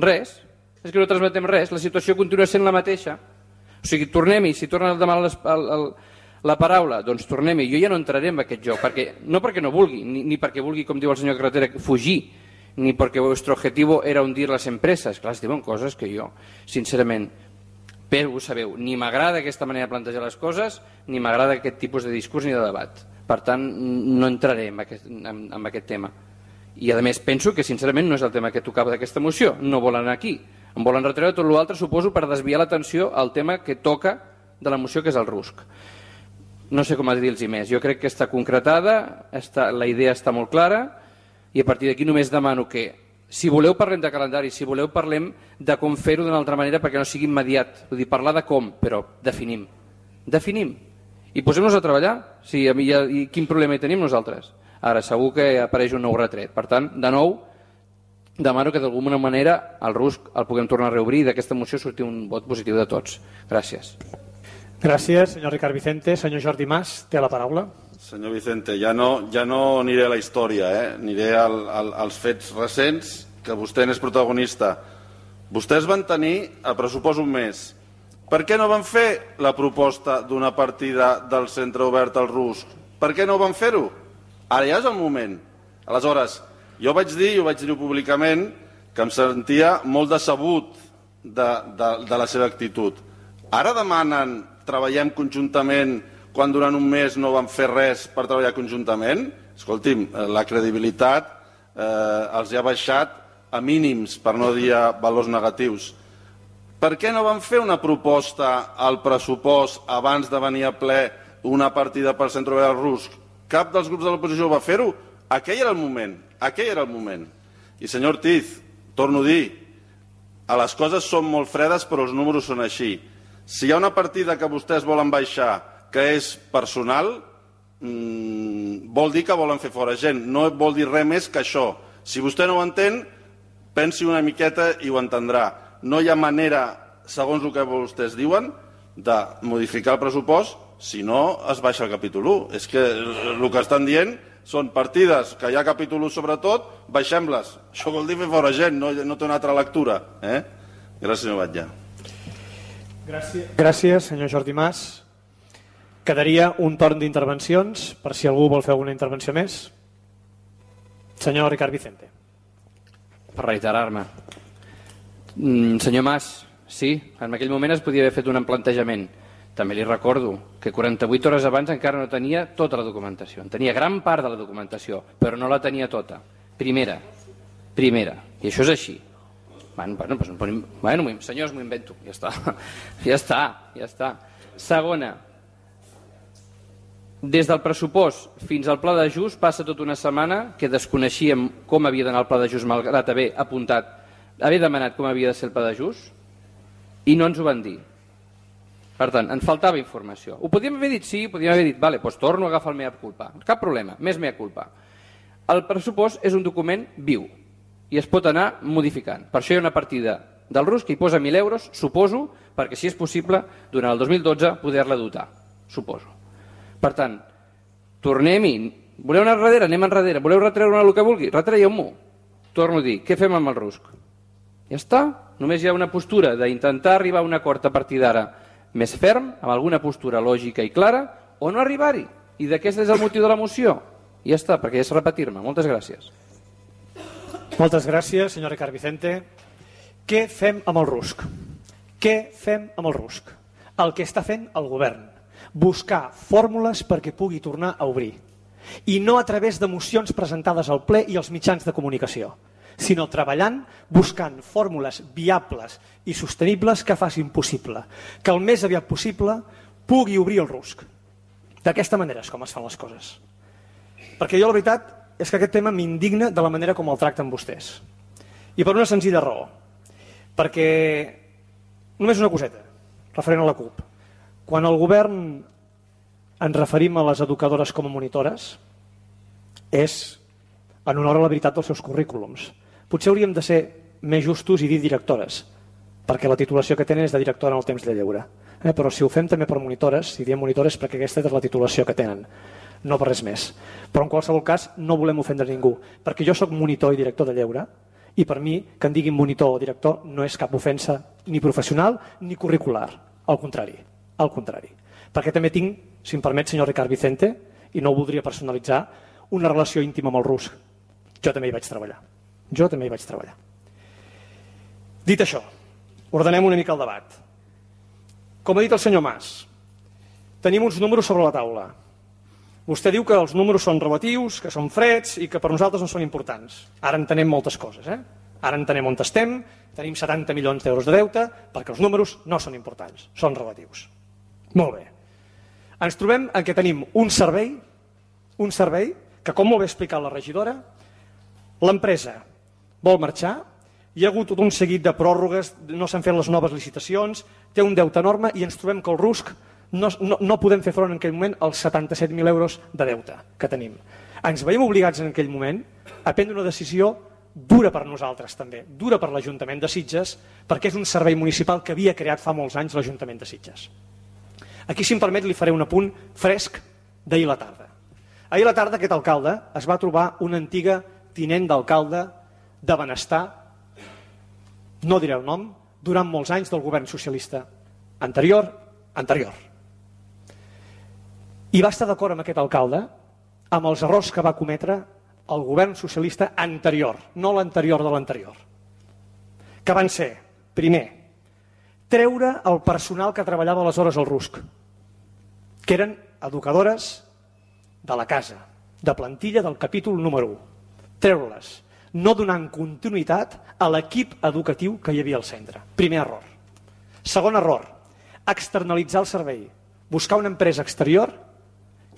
Res. És que no transmetem res, la situació continua sent la mateixa. O sigui, tornem-hi, si tornen a demanar la paraula, doncs tornem-hi. Jo ja no entraré en aquest joc, no perquè no vulgui, ni perquè vulgui, com diu el senyor Carretera, fugir, ni perquè el vostre objetivo era hundir les empreses. Clar, es diuen coses que jo, sincerament, però ho sabeu, ni m'agrada aquesta manera de plantejar les coses, ni m'agrada aquest tipus de discurs ni de debat. Per tant, no entraré en aquest tema. I a més penso que sincerament no és el tema que tocava d'aquesta moció, no volen anar aquí. Em volen retreure tot l'altre, suposo, per desviar l'atenció al tema que toca de la moció, que és el RUSC. No sé com dir-los més. Jo crec que està concretada, la idea està molt clara, i a partir d'aquí només demano que, si voleu parlem de calendari, si voleu parlem de com fer-ho d'una altra manera perquè no sigui immediat. Vull dir, parlar de com, però definim. Definim. I posem-nos a treballar. I quin problema hi tenim nosaltres? Ara, segur que apareix un nou retret. Per tant, de nou, demano que d'alguna manera el RUSC el puguem tornar a reobrir i d'aquesta moció sortir un vot positiu de tots. Gràcies. Gràcies, senyor Ricard Vicente. Senyor Jordi Mas, té la paraula. Senyor Vicente, ja no aniré a la història, aniré als fets recents, que vostè n'és protagonista. Vostès van tenir el pressupost un mes. Per què no van fer la proposta d'una partida del centre obert al RUSC? Per què no van fer-ho? Ara ja és el moment. Aleshores, jo vaig dir públicament, que em sentia molt decebut de la seva actitud. Ara demanen treballem conjuntament quan durant un mes no van fer res per treballar conjuntament? Escolti'm, la credibilitat els ha baixat a mínims, per no dir a valors negatius. Per què no van fer una proposta al pressupost abans de venir a ple una partida pel centre obert al RUSC? Cap dels grups de l'oposició va fer-ho? Aquell era el moment. I senyor Ortiz, torno a dir, les coses són molt fredes però els números són així. Si hi ha una partida que vostès volen baixar que és personal, vol dir que volen fer fora gent, no vol dir res més que això. Si vostè no ho entén, pensi una miqueta i ho entendrà. No hi ha manera, segons el que vostès diuen, de modificar el pressupost si no es baixa el capítol 1. És que el que estan dient són partides que hi ha capítol 1 sobretot, baixem-les. Això vol dir fer fora gent, no té una altra lectura. Gràcies, senyor Batlle. Gràcies, senyor Jordi Mas. Quedaria un torn d'intervencions, per si algú vol fer alguna intervenció més. Senyor Ricard Vicente. Per reiterar-me. Senyor Mas, sí, en aquell moment es podia haver fet un plantejament. També li recordo que 48 hores abans encara no tenia tota la documentació. En tenia gran part de la documentació, però no la tenia tota. Primera. Primera, i això és així. Senyors, m'ho invento, ja està. Segona, des del pressupost fins al pla d'ajust passa tota una setmana que desconeixíem com havia d'anar el pla d'ajust, malgrat haver demanat com havia de ser el pla d'ajust, i no ens ho van dir. Per tant, ens faltava informació. Ho podíem haver dit, sí, podíem haver dit, vale, doncs torno a agafar el mea culpa. Cap problema, més mea culpa. El pressupost és un document viu i es pot anar modificant. Per això hi ha una partida del RUSC que hi posa 1.000 euros, suposo, perquè si és possible, durant el 2012 poder-la dotar, suposo. Per tant, tornem-hi. Voleu anar enrere? Anem enrere. Voleu retreure el que vulgui? Retraieu-m'ho. Torno a dir, què fem amb el RUSC? Ja està. Només hi ha una postura d'intentar arribar a un acord a partir d'ara més ferm, amb alguna postura lògica i clara, o no arribar-hi. I d'aquest és el motiu de la moció. I ja està, perquè és repetir-me. Moltes gràcies. Moltes gràcies, senyor Ricard Vicente. Què fem amb el RUSC? Què fem amb el RUSC? El que està fent el govern. Buscar fórmules perquè pugui tornar a obrir. I no a través de mocions presentades al ple i als mitjans de comunicació, sinó treballant, buscant fórmules viables i sostenibles que facin possible que el més aviat possible pugui obrir el RUSC. D'aquesta manera és com es fan les coses. Perquè jo la veritat és que aquest tema m'indigna de la manera com el tracten vostès. I per una senzilla raó. Perquè, només una coseta, referent a la CUP. Quan el govern ens referim a les educadores com a monitores, és en honor a la veritat dels seus currículums. Potser hauríem de ser més justos i dir directores, perquè la titulació que tenen és de directora en el temps de lleure. Però si ho fem també per monitores, si diem monitores perquè aquesta és la titulació que tenen, no per res més. Però en qualsevol cas no volem ofendre ningú, perquè jo sóc monitor i director de lleure, i per mi que en diguin monitor o director no és cap ofensa ni professional ni curricular, al contrari. Al contrari. Perquè també tinc, si em permet, senyor Ricard Vicente, i no ho voldria personalitzar, una relació íntima amb el RUSC. Jo també hi vaig treballar. Dit això, ordenem una mica el debat. Com ha dit el senyor Mas, tenim uns números sobre la taula. Vostè diu que els números són relatius, que són freds i que per nosaltres no són importants. Ara entenem moltes coses. Ara entenem on estem, tenim 70 milions d'euros de deute, perquè els números no són importants, són relatius. Molt bé. Ens trobem en què tenim un servei que, com molt bé ha explicat la regidora, l'empresa vol marxar, hi ha hagut tot un seguit de pròrrogues, no s'han fet les noves licitacions, té un deute enorme i ens trobem que el RUSC no podem fer front en aquell moment als 77.000 euros de deute que tenim. Ens veiem obligats en aquell moment a prendre una decisió dura per nosaltres també, dura per l'Ajuntament de Sitges, perquè és un servei municipal que havia creat fa molts anys l'Ajuntament de Sitges. Aquí, si em permet, li faré un apunt fresc d'ahir a la tarda. Ahir a la tarda aquest alcalde es va trobar una antiga tinent d'alcalde de Benestar, no diré el nom, durant molts anys del govern socialista anterior. I va estar d'acord amb aquest alcalde amb els errors que va cometre el govern socialista anterior, no l'anterior de l'anterior. Que van ser, primer, treure el personal que treballava aleshores al RUSC, que eren educadores de la casa, de plantilla del capítol número 1. Treure-les, no donant continuïtat a l'equip educatiu que hi havia al centre. Primer error. Segon error, externalitzar el servei, buscar una empresa exterior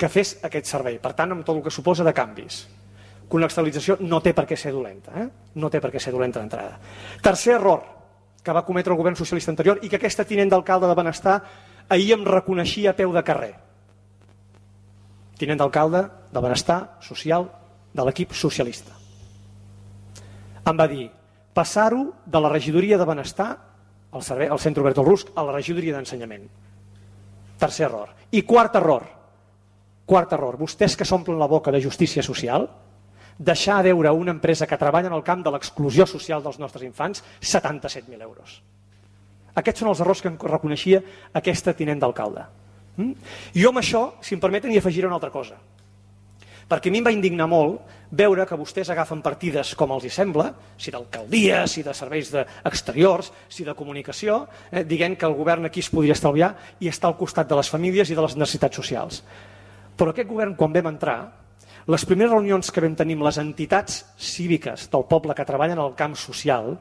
que fes aquest servei, per tant, amb tot el que suposa de canvis. Que una externalització no té per què ser dolenta, no té per què ser dolenta d'entrada. Tercer error que va cometre el govern socialista anterior i que aquesta tinent d'alcalde de Benestar ahir em reconeixia a peu de carrer. Tinent d'alcalde de Benestar Social de l'equip socialista. Em va dir, passar-ho de la regidoria de Benestar, al centre obert del RUSC, a la regidoria d'ensenyament. Tercer error. I quart error, vostès que s'omplen la boca de justícia social, deixar a veure una empresa que treballa en el camp de l'exclusió social dels nostres infants 77.000 euros. Aquests són els errors que reconeixia aquesta tinent d'alcalde. Jo amb això, si em permeten, hi afegiré una altra cosa. Perquè a mi em va indignar molt veure que vostès agafen partides com els hi sembla, si d'alcaldia, si de serveis exteriors, si de comunicació, dient que el govern aquí es podria estalviar i està al costat de les famílies i de les necessitats socials. Però aquest govern, quan vam entrar, Les primeres reunions que vam tenir amb les entitats cíviques del poble que treballen al camp social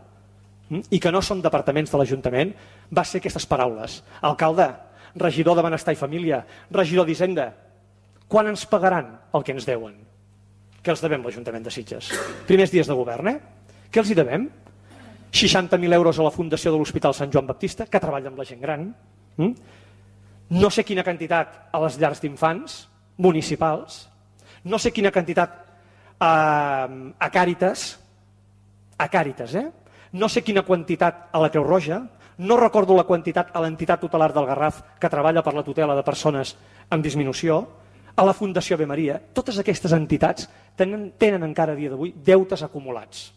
i que no són departaments de l'Ajuntament va ser aquestes paraules. Alcalde, regidor de Benestar i Família, regidor d'Hisenda, quan ens pagaran el que ens deuen? Què els devem l'Ajuntament de Sitges? Primers dies de govern, Què els hi devem? 60.000 euros a la Fundació de l'Hospital Sant Joan Baptista, que treballa amb la gent gran. No sé quina quantitat a les llars d'infants municipals. No sé quina quantitat a Càritas. A Càritas, No sé quina quantitat a la Creu Roja. No recordo la quantitat a l'entitat tutelar del Garraf que treballa per la tutela de persones amb disminució. A la Fundació Ave Maria. Totes aquestes entitats tenen encara a dia d'avui deutes acumulats.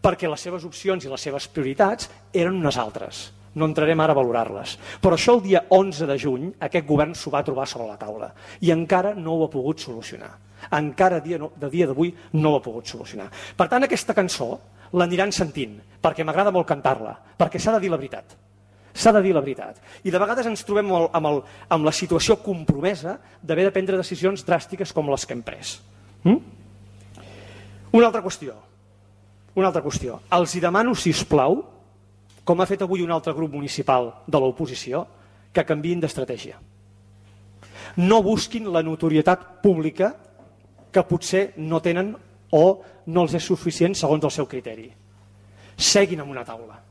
Perquè les seves opcions i les seves prioritats eren unes altres. No entrarem ara a valorar-les. Però això el dia 11 de juny aquest govern s'ho va trobar sobre la taula i encara no ho ha pogut solucionar. Encara a dia d'avui no ho ha pogut solucionar. Per tant, aquesta cançó l'aniran sentint, perquè m'agrada molt cantar-la, perquè s'ha de dir la veritat. S'ha de dir la veritat. I de vegades ens trobem amb la situació compromesa d'haver de prendre decisions dràstiques com les que hem pres. Una altra qüestió. Els hi demano, sisplau, com ha fet avui un altre grup municipal de l'oposició, que canviïn d'estratègia. No busquin la notorietat pública que potser no tenen o no els és suficient segons el seu criteri. Seguin en una taula.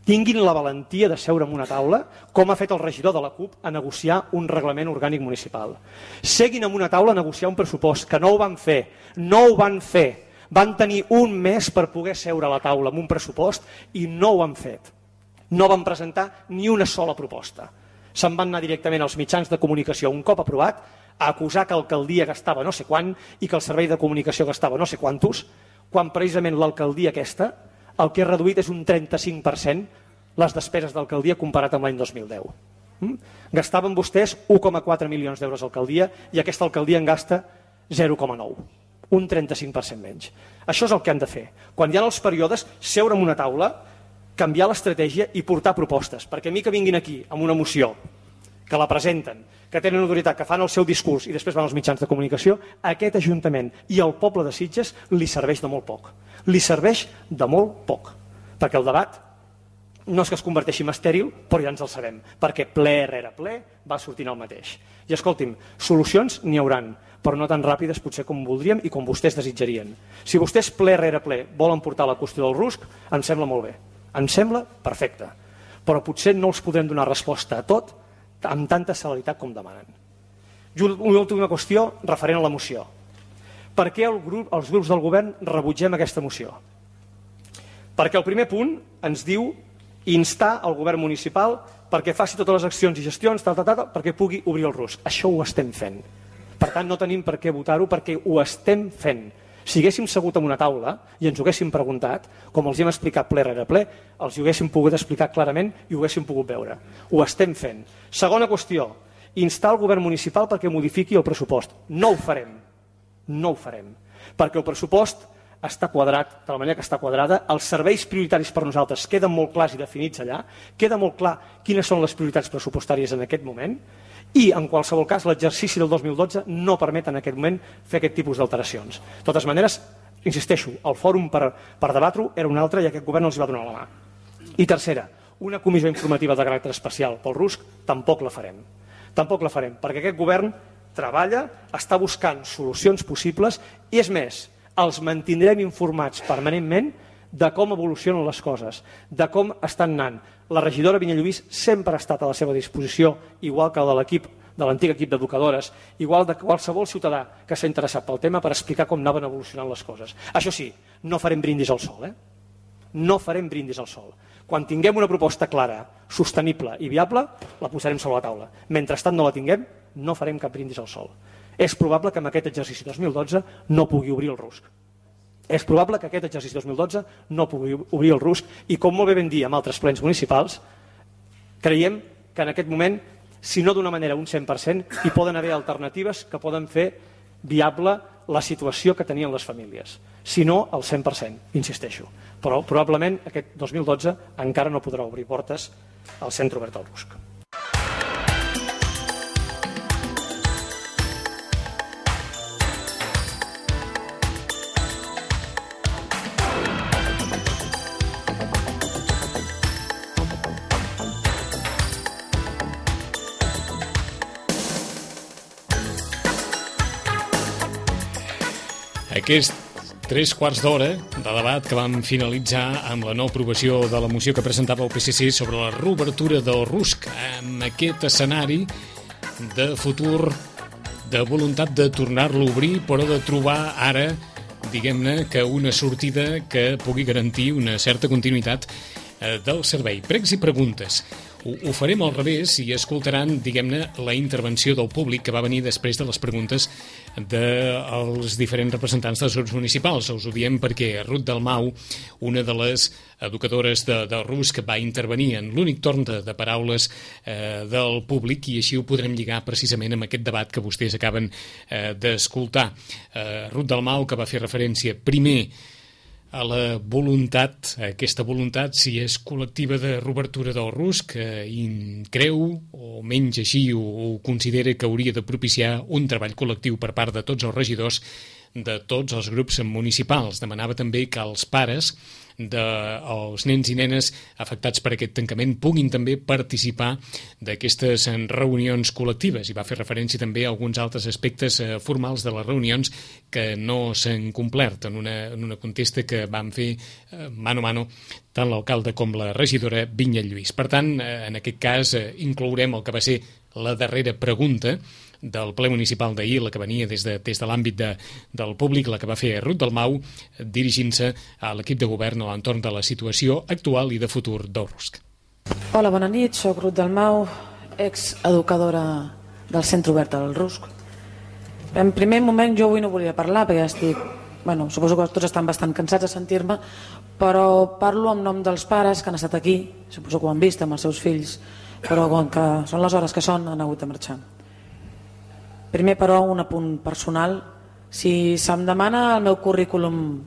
Tinguin la valentia de seure en una taula, com ha fet el regidor de la CUP, a negociar un reglament orgànic municipal. Seguin en una taula a negociar un pressupost, que no ho van fer. No ho van fer. Van tenir un mes per poder seure a la taula amb un pressupost i no ho han fet. No van presentar ni una sola proposta. Se'n van anar directament als mitjans de comunicació un cop aprovat a acusar que l'alcaldia gastava no sé quant i que el servei de comunicació gastava no sé quantos, quan precisament l'alcaldia aquesta el que ha reduït és un 35% les despeses d'alcaldia comparat amb l'any 2010. Gastaven vostès 1,4 milions d'euros d'alcaldia i aquesta alcaldia en gasta 0,9. Un 35% menys. Això és el que han de fer. Quan hi ha els períodes, seure en una taula, canviar l'estratègia i portar propostes. Perquè a mi que vinguin aquí amb una moció, que la presenten, que tenen autoritat, que fan el seu discurs i després van als mitjans de comunicació, a aquest Ajuntament i al poble de Sitges li serveix de molt poc. Li serveix de molt poc. Perquè el debat no és que es converteixi en estèril, però ja ens el sabem. Perquè ple rere ple va sortint el mateix. I escolti'm, solucions n'hi hauran, però no tan ràpides potser com voldríem i com vostès desitjarien. Si vostès ple rere ple volen portar la qüestió del RUSC, em sembla molt bé. Em sembla perfecte. Però potser no els podrem donar resposta a tot amb tanta celeritat com demanen. Una última qüestió referent a la moció. Per què els grups del govern rebutgem aquesta moció? Perquè el primer punt ens diu instar el govern municipal perquè faci totes les accions i gestions perquè pugui obrir el RUSC. Això ho estem fent. Per tant, no tenim per què votar-ho perquè ho estem fent. Si haguéssim segut en una taula i ens ho haguéssim preguntat, com els hem explicat ple rere ple, els ho haguéssim pogut explicar clarament i ho haguéssim pogut veure. Ho estem fent. Segona qüestió, instar el govern municipal perquè modifiqui el pressupost. No ho farem. No ho farem. Perquè el pressupost està quadrat de la manera que està quadrada, els serveis prioritaris per nosaltres queden molt clars i definits allà, queda molt clar quines són les prioritats pressupostàries en aquest moment i, en qualsevol cas, l'exercici del 2012 no permet en aquest moment fer aquest tipus d'alteracions. De totes maneres, insisteixo, el fòrum per debatre-ho era un altre i aquest govern no els va donar la mà. I tercera, una comissió informativa de caràcter especial pel RUSC tampoc la farem. Tampoc la farem, perquè aquest govern treballa, està buscant solucions possibles i, és més, els mantindrem informats permanentment de com evolucionen les coses, de com estan anant. La regidora Vinyet Lluís sempre ha estat a la seva disposició, igual que de l'antic equip d'educadores, igual de qualsevol ciutadà que s'ha interessat pel tema per explicar com anaven evolucionant les coses. Això sí, no farem brindis al sol, No farem brindis al sol. Quan tinguem una proposta clara, sostenible i viable, la posarem sobre la taula. Mentrestant no la tinguem, no farem cap brindis al sol. És probable que en aquest exercici 2012 no pugui obrir el RUSC. És probable que aquest exercici 2012 no pugui obrir el RUSC i, com molt bé vam dir en altres plens municipals, creiem que en aquest moment, si no d'una manera un 100%, hi poden haver alternatives que poden fer viable la situació que tenien les famílies. Si no, al 100%, insisteixo. Però probablement aquest 2012 encara no podrà obrir portes al centre obert al RUSC. Aquest 3/4 d'hora de debat que vam finalitzar amb la no aprovació de la moció que presentava el PSC sobre la reobertura del RUSC, amb aquest escenari de futur, de voluntat de tornar-lo a obrir, però de trobar ara, diguem-ne, que una sortida que pugui garantir una certa continuïtat del servei. Pregs i preguntes. Ho farem al revés i escoltaran, diguem-ne, la intervenció del públic que va venir després de les preguntes dels diferents representants dels grups municipals. Us ho diem perquè Ruth Dalmau, una de les educadores de RUSC, va intervenir en l'únic torn de paraules del públic i així ho podrem lligar precisament amb aquest debat que vostès acaben d'escoltar. Ruth Dalmau, que va fer referència primer a la voluntat, aquesta voluntat, si és col·lectiva de reobertura del RUSC, i creu, o menys així, o considera que hauria de propiciar un treball col·lectiu per part de tots els regidors de tots els grups municipals. Demanava també que els pares dels nens i nenes afectats per aquest tancament puguin també participar d'aquestes reunions col·lectives i va fer referència també a alguns altres aspectes formals de les reunions que no s'han complert en una contesta que van fer mano a mano tant l'alcalde com la regidora Vinyet Lluís. Per tant, en aquest cas inclourem el que va ser la darrera pregunta del ple municipal d'ahir, la que venia des de l'àmbit del públic, la que va fer Ruth Dalmau, dirigint-se a l'equip de govern a l'entorn de la situació actual i de futur del RUSC. Hola, bona nit, soc Ruth Dalmau, exeducadora del Centre Obert del RUSC. En primer moment jo avui no volia parlar perquè estic, suposo que tots estan bastant cansats de sentir-me, però parlo en nom dels pares que han estat aquí, suposo que ho han vist amb els seus fills, però com que són les hores que són han hagut de marxar. Primer, però, un apunt personal. Si se'm demana el meu currículum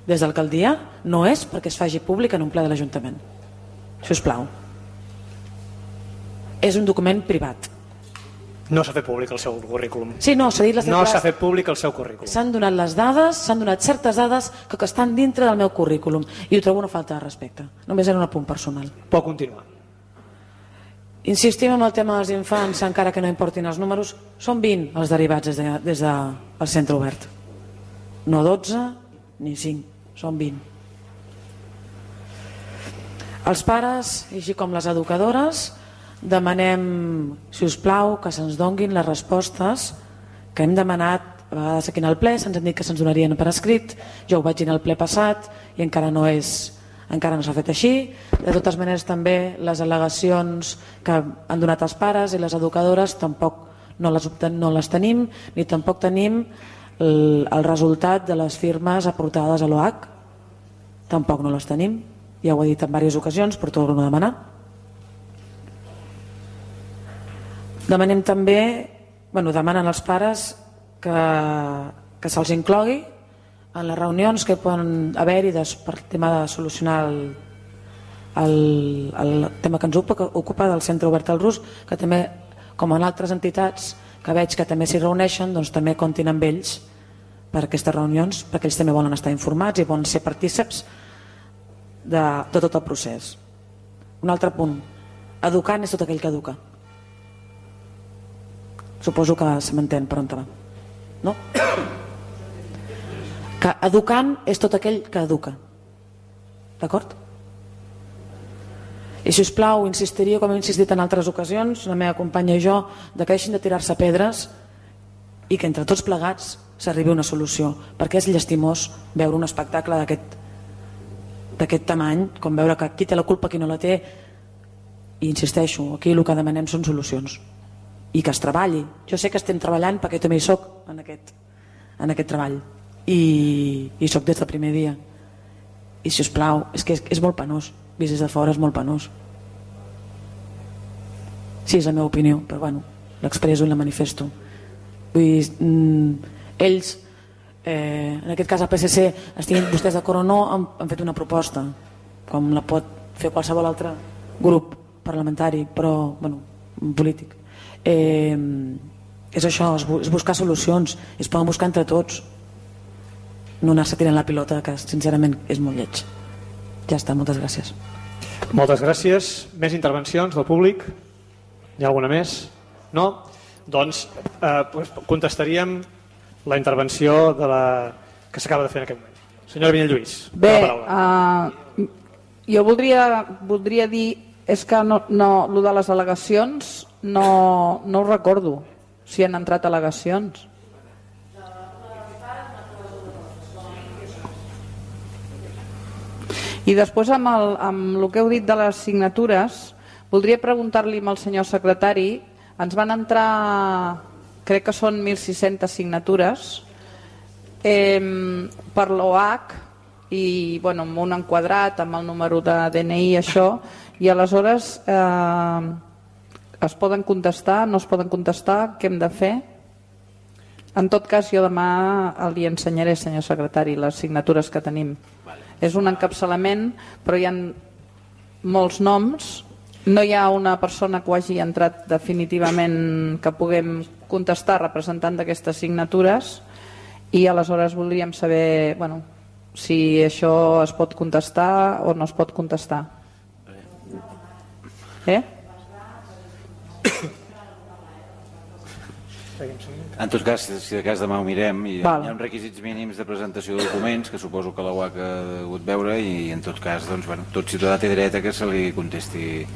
des d'alcaldia, no és perquè es faci públic en un ple de l'Ajuntament. Si us plau. És un document privat. No s'ha fet públic el seu currículum. Sí, no, s'ha dit les no s'ha fet públic el seu currículum. S'han donat les dades, s'han donat certes dades que estan dintre del meu currículum i ho trobo una falta de respecte. Només era un apunt personal. Pot continuar. Insistim en el tema dels infants, encara que no importin els números, són 20 els derivats des del centre obert. No 12 ni 5, són 20. Els pares, així com les educadores, demanem, si us plau, que se'ns donguin les respostes que hem demanat a vegades aquí en el ple. Se'ns han dit que se'ns donarien per escrit, jo ho vaig dir en el ple passat i encara no s'ha fet així. De totes maneres, també les al·legacions que han donat els pares i les educadores tampoc no les tenim, ni tampoc tenim el resultat de les firmes aportades a l'OAC. Tampoc no les tenim, ja ho he dit en diverses ocasions, però torno a demanar. Demanem també, demanen als pares que se'ls inclogui en les reunions que poden haver-hi per tema de solucionar el tema que ens ocupa del Centre Obert al RUSC, que també, com en altres entitats que veig que també s'hi reuneixen, doncs també comptin amb ells per aquestes reunions, perquè ells també volen estar informats i volen ser partíceps de tot el procés. Un altre punt, educant és tot aquell que educa. Suposo que se m'entén per on va, no? Que educant és tot aquell que educa, d'acord? I si us plau, insistiria, com he insistit en altres ocasions, la meva companya i jo, que deixin de tirar-se pedres i que entre tots plegats s'arribi a una solució, perquè és llastimós veure un espectacle d'aquest tamany, com veure que qui té la culpa, qui no la té, i insisteixo, aquí el que demanem són solucions i que es treballi. Jo sé que estem treballant perquè també hi soc en aquest treball i soc des del primer dia, i si us plau, és que és molt penós, vist des de fora és molt penós. Sí, és la meva opinió, però l'expresso i la manifesto. Ells, en aquest cas el PSC, estiguin vostès d'acord o no, han fet una proposta, com la pot fer qualsevol altre grup parlamentari, però polític. És això, és buscar solucions, es poden buscar entre tots, no anar-se tirant la pilota, que sincerament és molt lleig. Ja està, moltes gràcies. Moltes gràcies. Més intervencions del públic? Hi ha alguna més? No? Doncs contestaríem la intervenció de la que s'acaba de fer en aquest moment. Senyora Vinyalluís, bé, la paraula. Jo voldria dir, és que lo de les al·legacions no ho recordo, si han entrat al·legacions. I després amb el que heu dit de les signatures, voldria preguntar-li al senyor secretari, ens van entrar, crec que són 1.600 signatures per l'OH i amb un enquadrat, amb el número de DNI, això, i aleshores es poden contestar, no es poden contestar, què hem de fer? En tot cas, jo demà li ensenyaré, senyor secretari, les signatures que tenim. És un encapçalament, però hi ha molts noms, no hi ha una persona que ho hagi entrat definitivament que puguem contestar representant d'aquestes signatures, i aleshores voldríem saber si això es pot contestar o no es pot contestar. En tot cas, si de cas demà ho mirem, hi ha uns requisits mínims de presentació de documents que suposo que la UAC ha hagut veure, i en tot cas tot ciutadà té dret a que se li contesti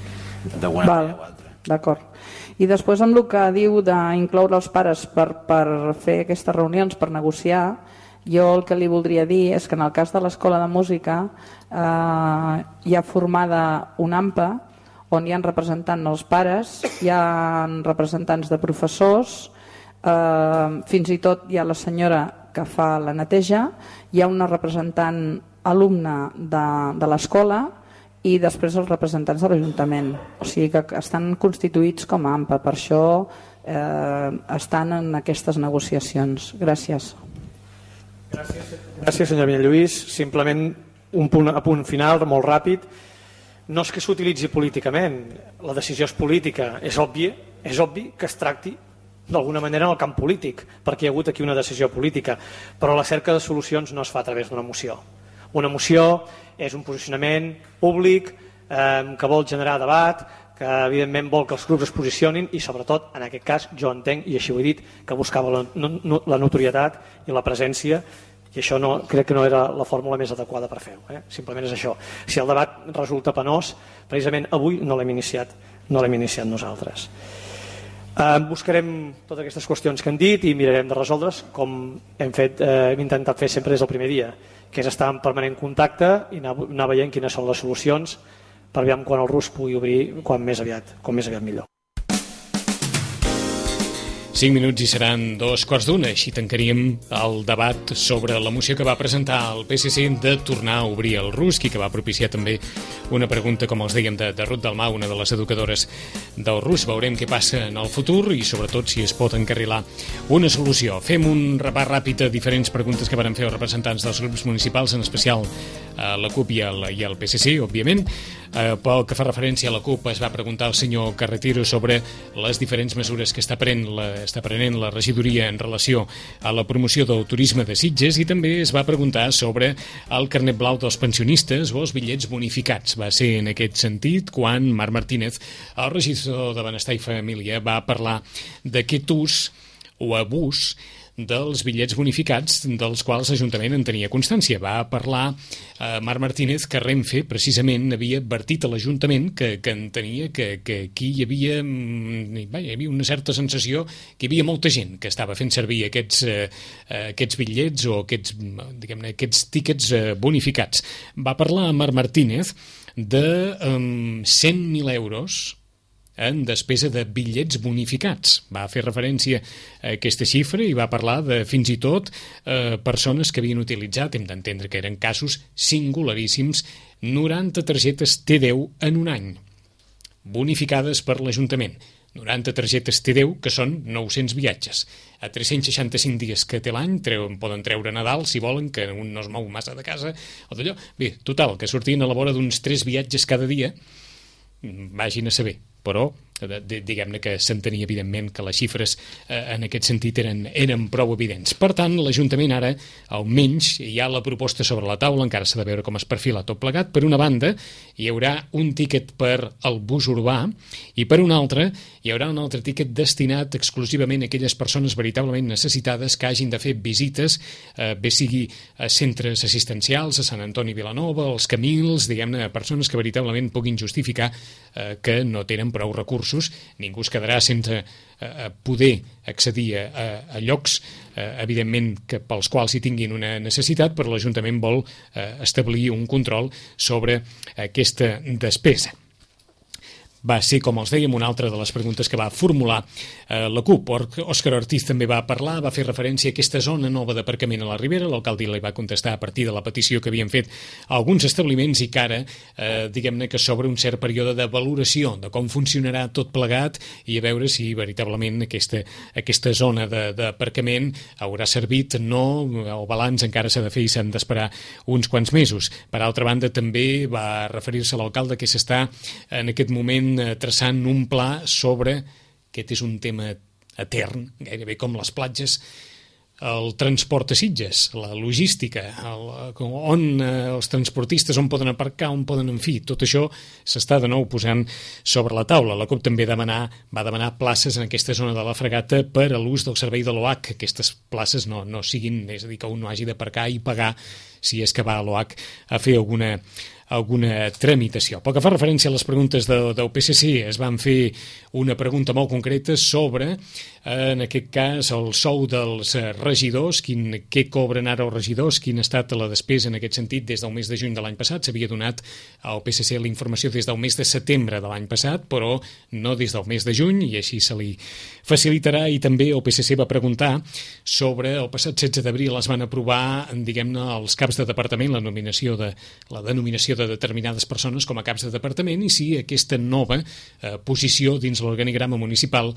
d'alguna manera o altra. D'acord. I després amb el que diu d'incloure els pares per fer aquestes reunions, per negociar, jo el que li voldria dir és que en el cas de l'Escola de Música hi ha formada una AMPA on hi ha representants els pares, hi ha representants de professors, fins i tot hi ha la senyora que fa la neteja, hi ha una representant alumne de l'escola i després els representants de l'Ajuntament. O sigui que estan constituïts com a AMPA, per això estan en aquestes negociacions. Gràcies. Gràcies, senyor Vinyalluís. Simplement un punt final, molt ràpid. No és que s'utilitzi políticament, la decisió és política, és obvi que es tracti d'alguna manera en el camp polític, perquè hi ha hagut aquí una decisió política, però la cerca de solucions no es fa a través d'una moció. Una moció és un posicionament públic que vol generar debat, que evidentment vol que els grups es posicionin i sobretot, en aquest cas, jo entenc, i així ho he dit, que buscava la notorietat i la presència, i això crec que no era la fórmula més adequada per fer-ho. Simplement és això. Si el debat resulta penós, precisament avui no l'hem iniciat nosaltres. Buscarem totes aquestes qüestions que han dit i mirarem de resoldre's com hem intentat fer sempre des del primer dia, que és estar en permanent contacte i anar veient quines són les solucions per veure quan el RUS pugui obrir com més aviat millor. 5 minuts i seran 2:15, així tancaríem el debat sobre la moció que va presentar el PSC de tornar a obrir el RUSC i que va propiciar també una pregunta, com els dèiem, de Ruth Dalmau, una de les educadores del RUSC. Veurem què passa en el futur i sobretot si es pot encarrilar una solució. Fem un repàs ràpid a diferents preguntes que van fer els representants dels grups municipals, en especial la CUP i el PSC, òbviament. Pel que fa referència a la CUP, es va preguntar al senyor Carretero sobre les diferents mesures que està prenent la regidoria en relació a la promoció del turisme de Sitges, i també es va preguntar sobre el carnet blau dels pensionistes o els bitllets bonificats. Va ser en aquest sentit quan Marc Martínez, el regidor de Benestar i Família, va parlar d'aquest ús o abús dels bitllets bonificats dels quals l'Ajuntament en tenia constància. Va parlar Marc Martínez que Renfe precisament havia advertit a l'Ajuntament que entenia que aquí hi havia una certa sensació que hi havia molta gent que estava fent servir aquests bitllets o aquests tíquets bonificats. Va parlar Marc Martínez de 100.000 euros en despesa de bitllets bonificats. Va fer referència a aquesta xifra i va parlar de fins i tot persones que havien utilitzat, hem d'entendre que eren casos singularíssims, 90 targetes T10 en un any, bonificades per l'Ajuntament. 90 targetes T10, que són 900 viatges. A 365 dies que té l'any, poden treure Nadal, si volen, que un no es mou massa de casa, o d'allò. Bé, total, que sortien a la vora d'uns 3 viatges cada dia, vagin a saber. Però diguem-ne que s'entenia evidentment que les xifres en aquest sentit eren prou evidents. Per tant, l'Ajuntament ara, almenys, hi ha la proposta sobre la taula, encara s'ha de veure com es perfila tot plegat. Per una banda, hi haurà un tíquet per al bus urbà i per una altra hi haurà un altre tíquet destinat exclusivament a aquelles persones veritablement necessitades que hagin de fer visites, bé sigui a centres assistencials, a Sant Antoni Vilanova, als Camils, diguem-ne, persones que veritablement puguin justificar que no tenen prou recursos. Ningú es quedarà sense poder accedir a llocs, evidentment, pels quals hi tinguin una necessitat, però l'Ajuntament vol establir un control sobre aquesta despesa. Va ser, com els dèiem, una altra de les preguntes que va formular la CUP. Òscar Ortiz també va parlar, va fer referència a aquesta zona nova d'aparcament a la Ribera. L'alcalde li va contestar a partir de la petició que havien fet alguns establiments i que ara, diguem-ne que s'obre un cert període de valoració de com funcionarà tot plegat i a veure si veritablement aquesta zona d'aparcament haurà servit, no, el balanç encara s'ha de fer i s'han d'esperar uns quants mesos. Per altra banda, també va referir-se a l'alcalde que s'està en aquest moment traçant un pla sobre, aquest és un tema etern, gairebé com les platges, el transport a Sitges, la logística, on els transportistes on poden aparcar, on poden, en fi, tot això s'està de nou posant sobre la taula. La CUP també va demanar places en aquesta zona de la Fregata per a l'ús del servei de l'OH, que aquestes places no siguin, és a dir, que un no hagi d'aparcar i pagar si és que va a l'OH a fer alguna tramitació. Pel que fa referència a les preguntes del PSC, es van fer una pregunta molt concreta sobre, en aquest cas, el sou dels regidors, què cobren ara els regidors, quina ha estat la despesa en aquest sentit des del mes de juny de l'any passat. S'havia donat al PSC la informació des del mes de setembre de l'any passat, però no des del mes de juny, i així se li facilitarà. I també el PSC va preguntar sobre, el passat 16 d'abril es van aprovar, diguem-ne, els caps de departament, la denominació de determinades persones com a caps de departament, i si aquesta nova posició dins l'organigrama municipal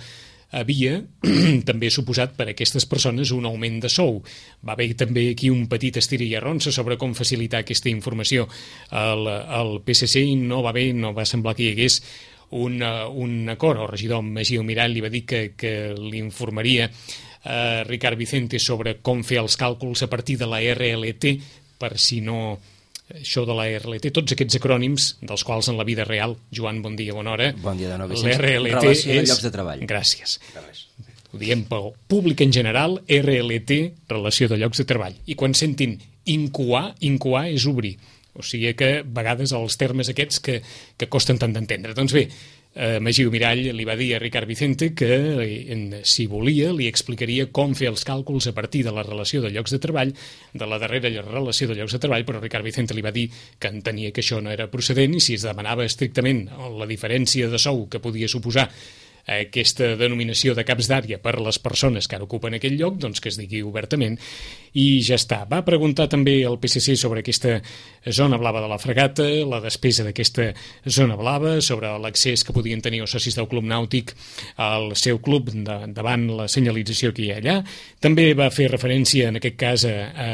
havia també suposat per a aquestes persones un augment de sou. Va haver també aquí un petit estira i arronsa sobre com facilitar aquesta informació al PSC i no va semblar que hi hagués un acord. El regidor Magí Almirall li va dir que l'informaria a Ricard Vicente sobre com fer els càlculs a partir de la RLT, per si no... Això de la RLT, tots aquests acrònims dels quals en la vida real, Joan, bon dia, bona hora. Bon dia de nou, Vicenç. Relació de llocs de treball. Gràcies. Ho diem pel públic en general, RLT, relació de llocs de treball. I quan sentin incoar és obrir. O sigui que a vegades els termes aquests que costen tant d'entendre. Doncs bé, Magí Almirall li va dir a Ricard Vicente que, si volia, li explicaria com fer els càlculs a partir de la relació de llocs de treball, de la darrera relació de llocs de treball, però Ricard Vicente li va dir que entenia que això no era procedent i si es demanava estrictament la diferència de sou que podia suposar aquesta denominació de caps d'àrea per les persones que ara ocupen aquell lloc, doncs que es digui obertament i ja està. Va preguntar també al PSC sobre aquesta zona blava de la Fregata, la despesa d'aquesta zona blava, sobre l'accés que podien tenir els socis del Club Nàutic al seu club davant la senyalització que hi ha allà. També va fer referència en aquest cas a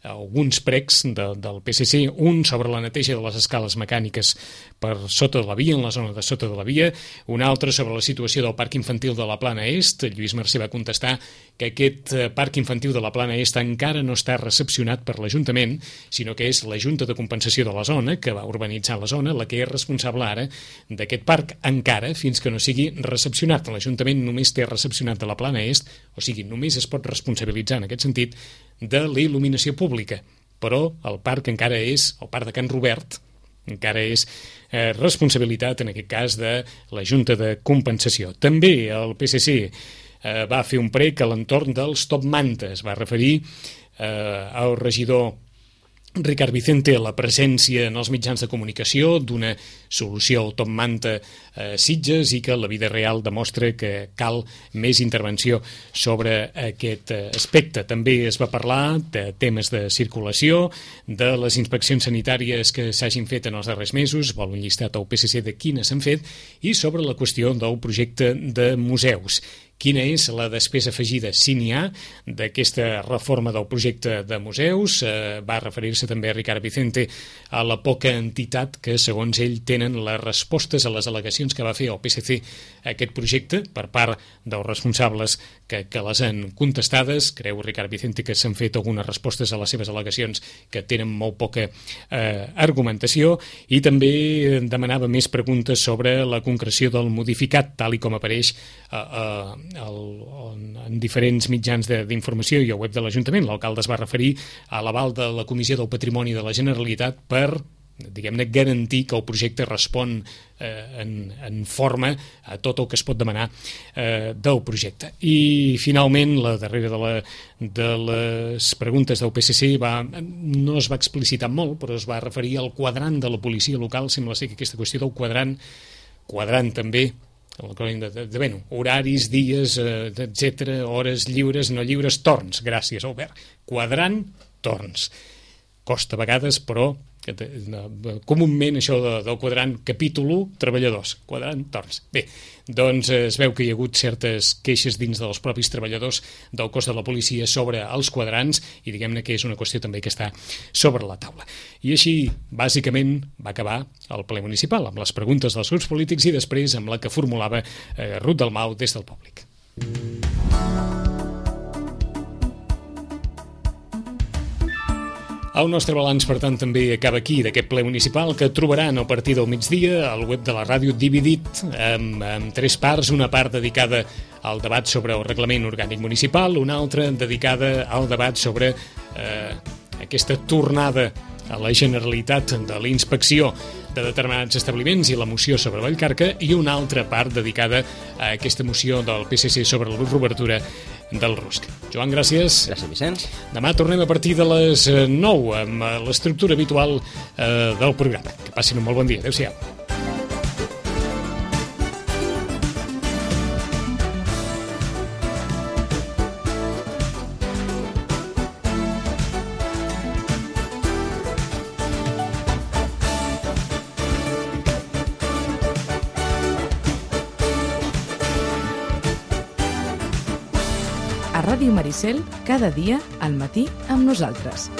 alguns pregs del PSC, un sobre la neteja de les escales mecàniques per sota de la via, en la zona de sota de la via, un altre sobre la situació del parc infantil de la Plana Est. Lluís Mercè va contestar que aquest parc infantil de la Plana Est encara no està recepcionat per l'Ajuntament, sinó que és la Junta de Compensació de la zona, que va urbanitzar la zona, la que és responsable ara d'aquest parc, encara fins que no sigui recepcionat. L'Ajuntament només té recepcionat de la Plana Est, o sigui, només es pot responsabilitzar en aquest sentit de la il·luminació pública, però el parc encara és, el parc de Can Robert, encara és responsabilitat, en aquest cas, de la Junta de Compensació. També el PSC va fer un prec a l'entorn dels top mantes, va referir al regidor Ricard Vicente a la presència en els mitjans de comunicació d'una solució al top manta Sitges i que la vida real demostra que cal més intervenció sobre aquest aspecte. També es va parlar de temes de circulació, de les inspeccions sanitàries que s'hagin fet en els darrers mesos, vol un llistat al PSC de quines s'han fet, i sobre la qüestió del projecte de museus. quina és la despesa afegida, si n'hi ha, d'aquesta reforma del projecte de museus. Va referir-se també a Ricard Vicente a la poca entitat que, segons ell, tenen les respostes a les al·legacions que va fer el PSC a aquest projecte per part dels responsables que les han contestades. Creu Ricard Vicente que s'han fet algunes respostes a les seves al·legacions que tenen molt poca argumentació, i també demanava més preguntes sobre la concreció del modificat, tal i com apareix en diferents mitjans d'informació i al web de l'Ajuntament. L'alcalde es va referir a l'aval de la Comissió del Patrimoni de la Generalitat per, diguem-ne, garantir que el projecte respon en forma a tot el que es pot demanar del projecte. I finalment, la darrera de les preguntes del PSC no es va explicitar molt, però es va referir al quadrant de la policia local. Sembla ser que aquesta qüestió del quadrant també, horaris, dies, etc., hores lliures, no lliures, torns. Gràcies, Albert. Quadrant, torns. Costa a vegades, però comúment això del quadrant capítol 1, treballadors, quadrant, torns. Bé, doncs es veu que hi ha hagut certes queixes dins dels propis treballadors del cos de la policia sobre els quadrants, i diguem-ne que és una qüestió també que està sobre la taula. I així, bàsicament, va acabar el ple municipal, amb les preguntes dels grups polítics i després amb la que formulava Ruth Dalmau des del públic. El nostre balanç, per tant, també acaba aquí, d'aquest ple municipal, que trobaran a partir del migdia al web de la ràdio dividit en 3 parts, una part dedicada al debat sobre el reglament orgànic municipal, una altra dedicada al debat sobre aquesta tornada a la Generalitat de la inspecció de determinats establiments i la moció sobre Vallcarca, i una altra part dedicada a aquesta moció del PSC sobre la reobertura del RUSC. Joan, gràcies. Gràcies, Vicenç. Demà tornem a partir de les 9 amb l'estructura habitual del programa. Que passin un molt bon dia. Adéu-siau. Ràdio Maricel, cada dia al matí amb nosaltres.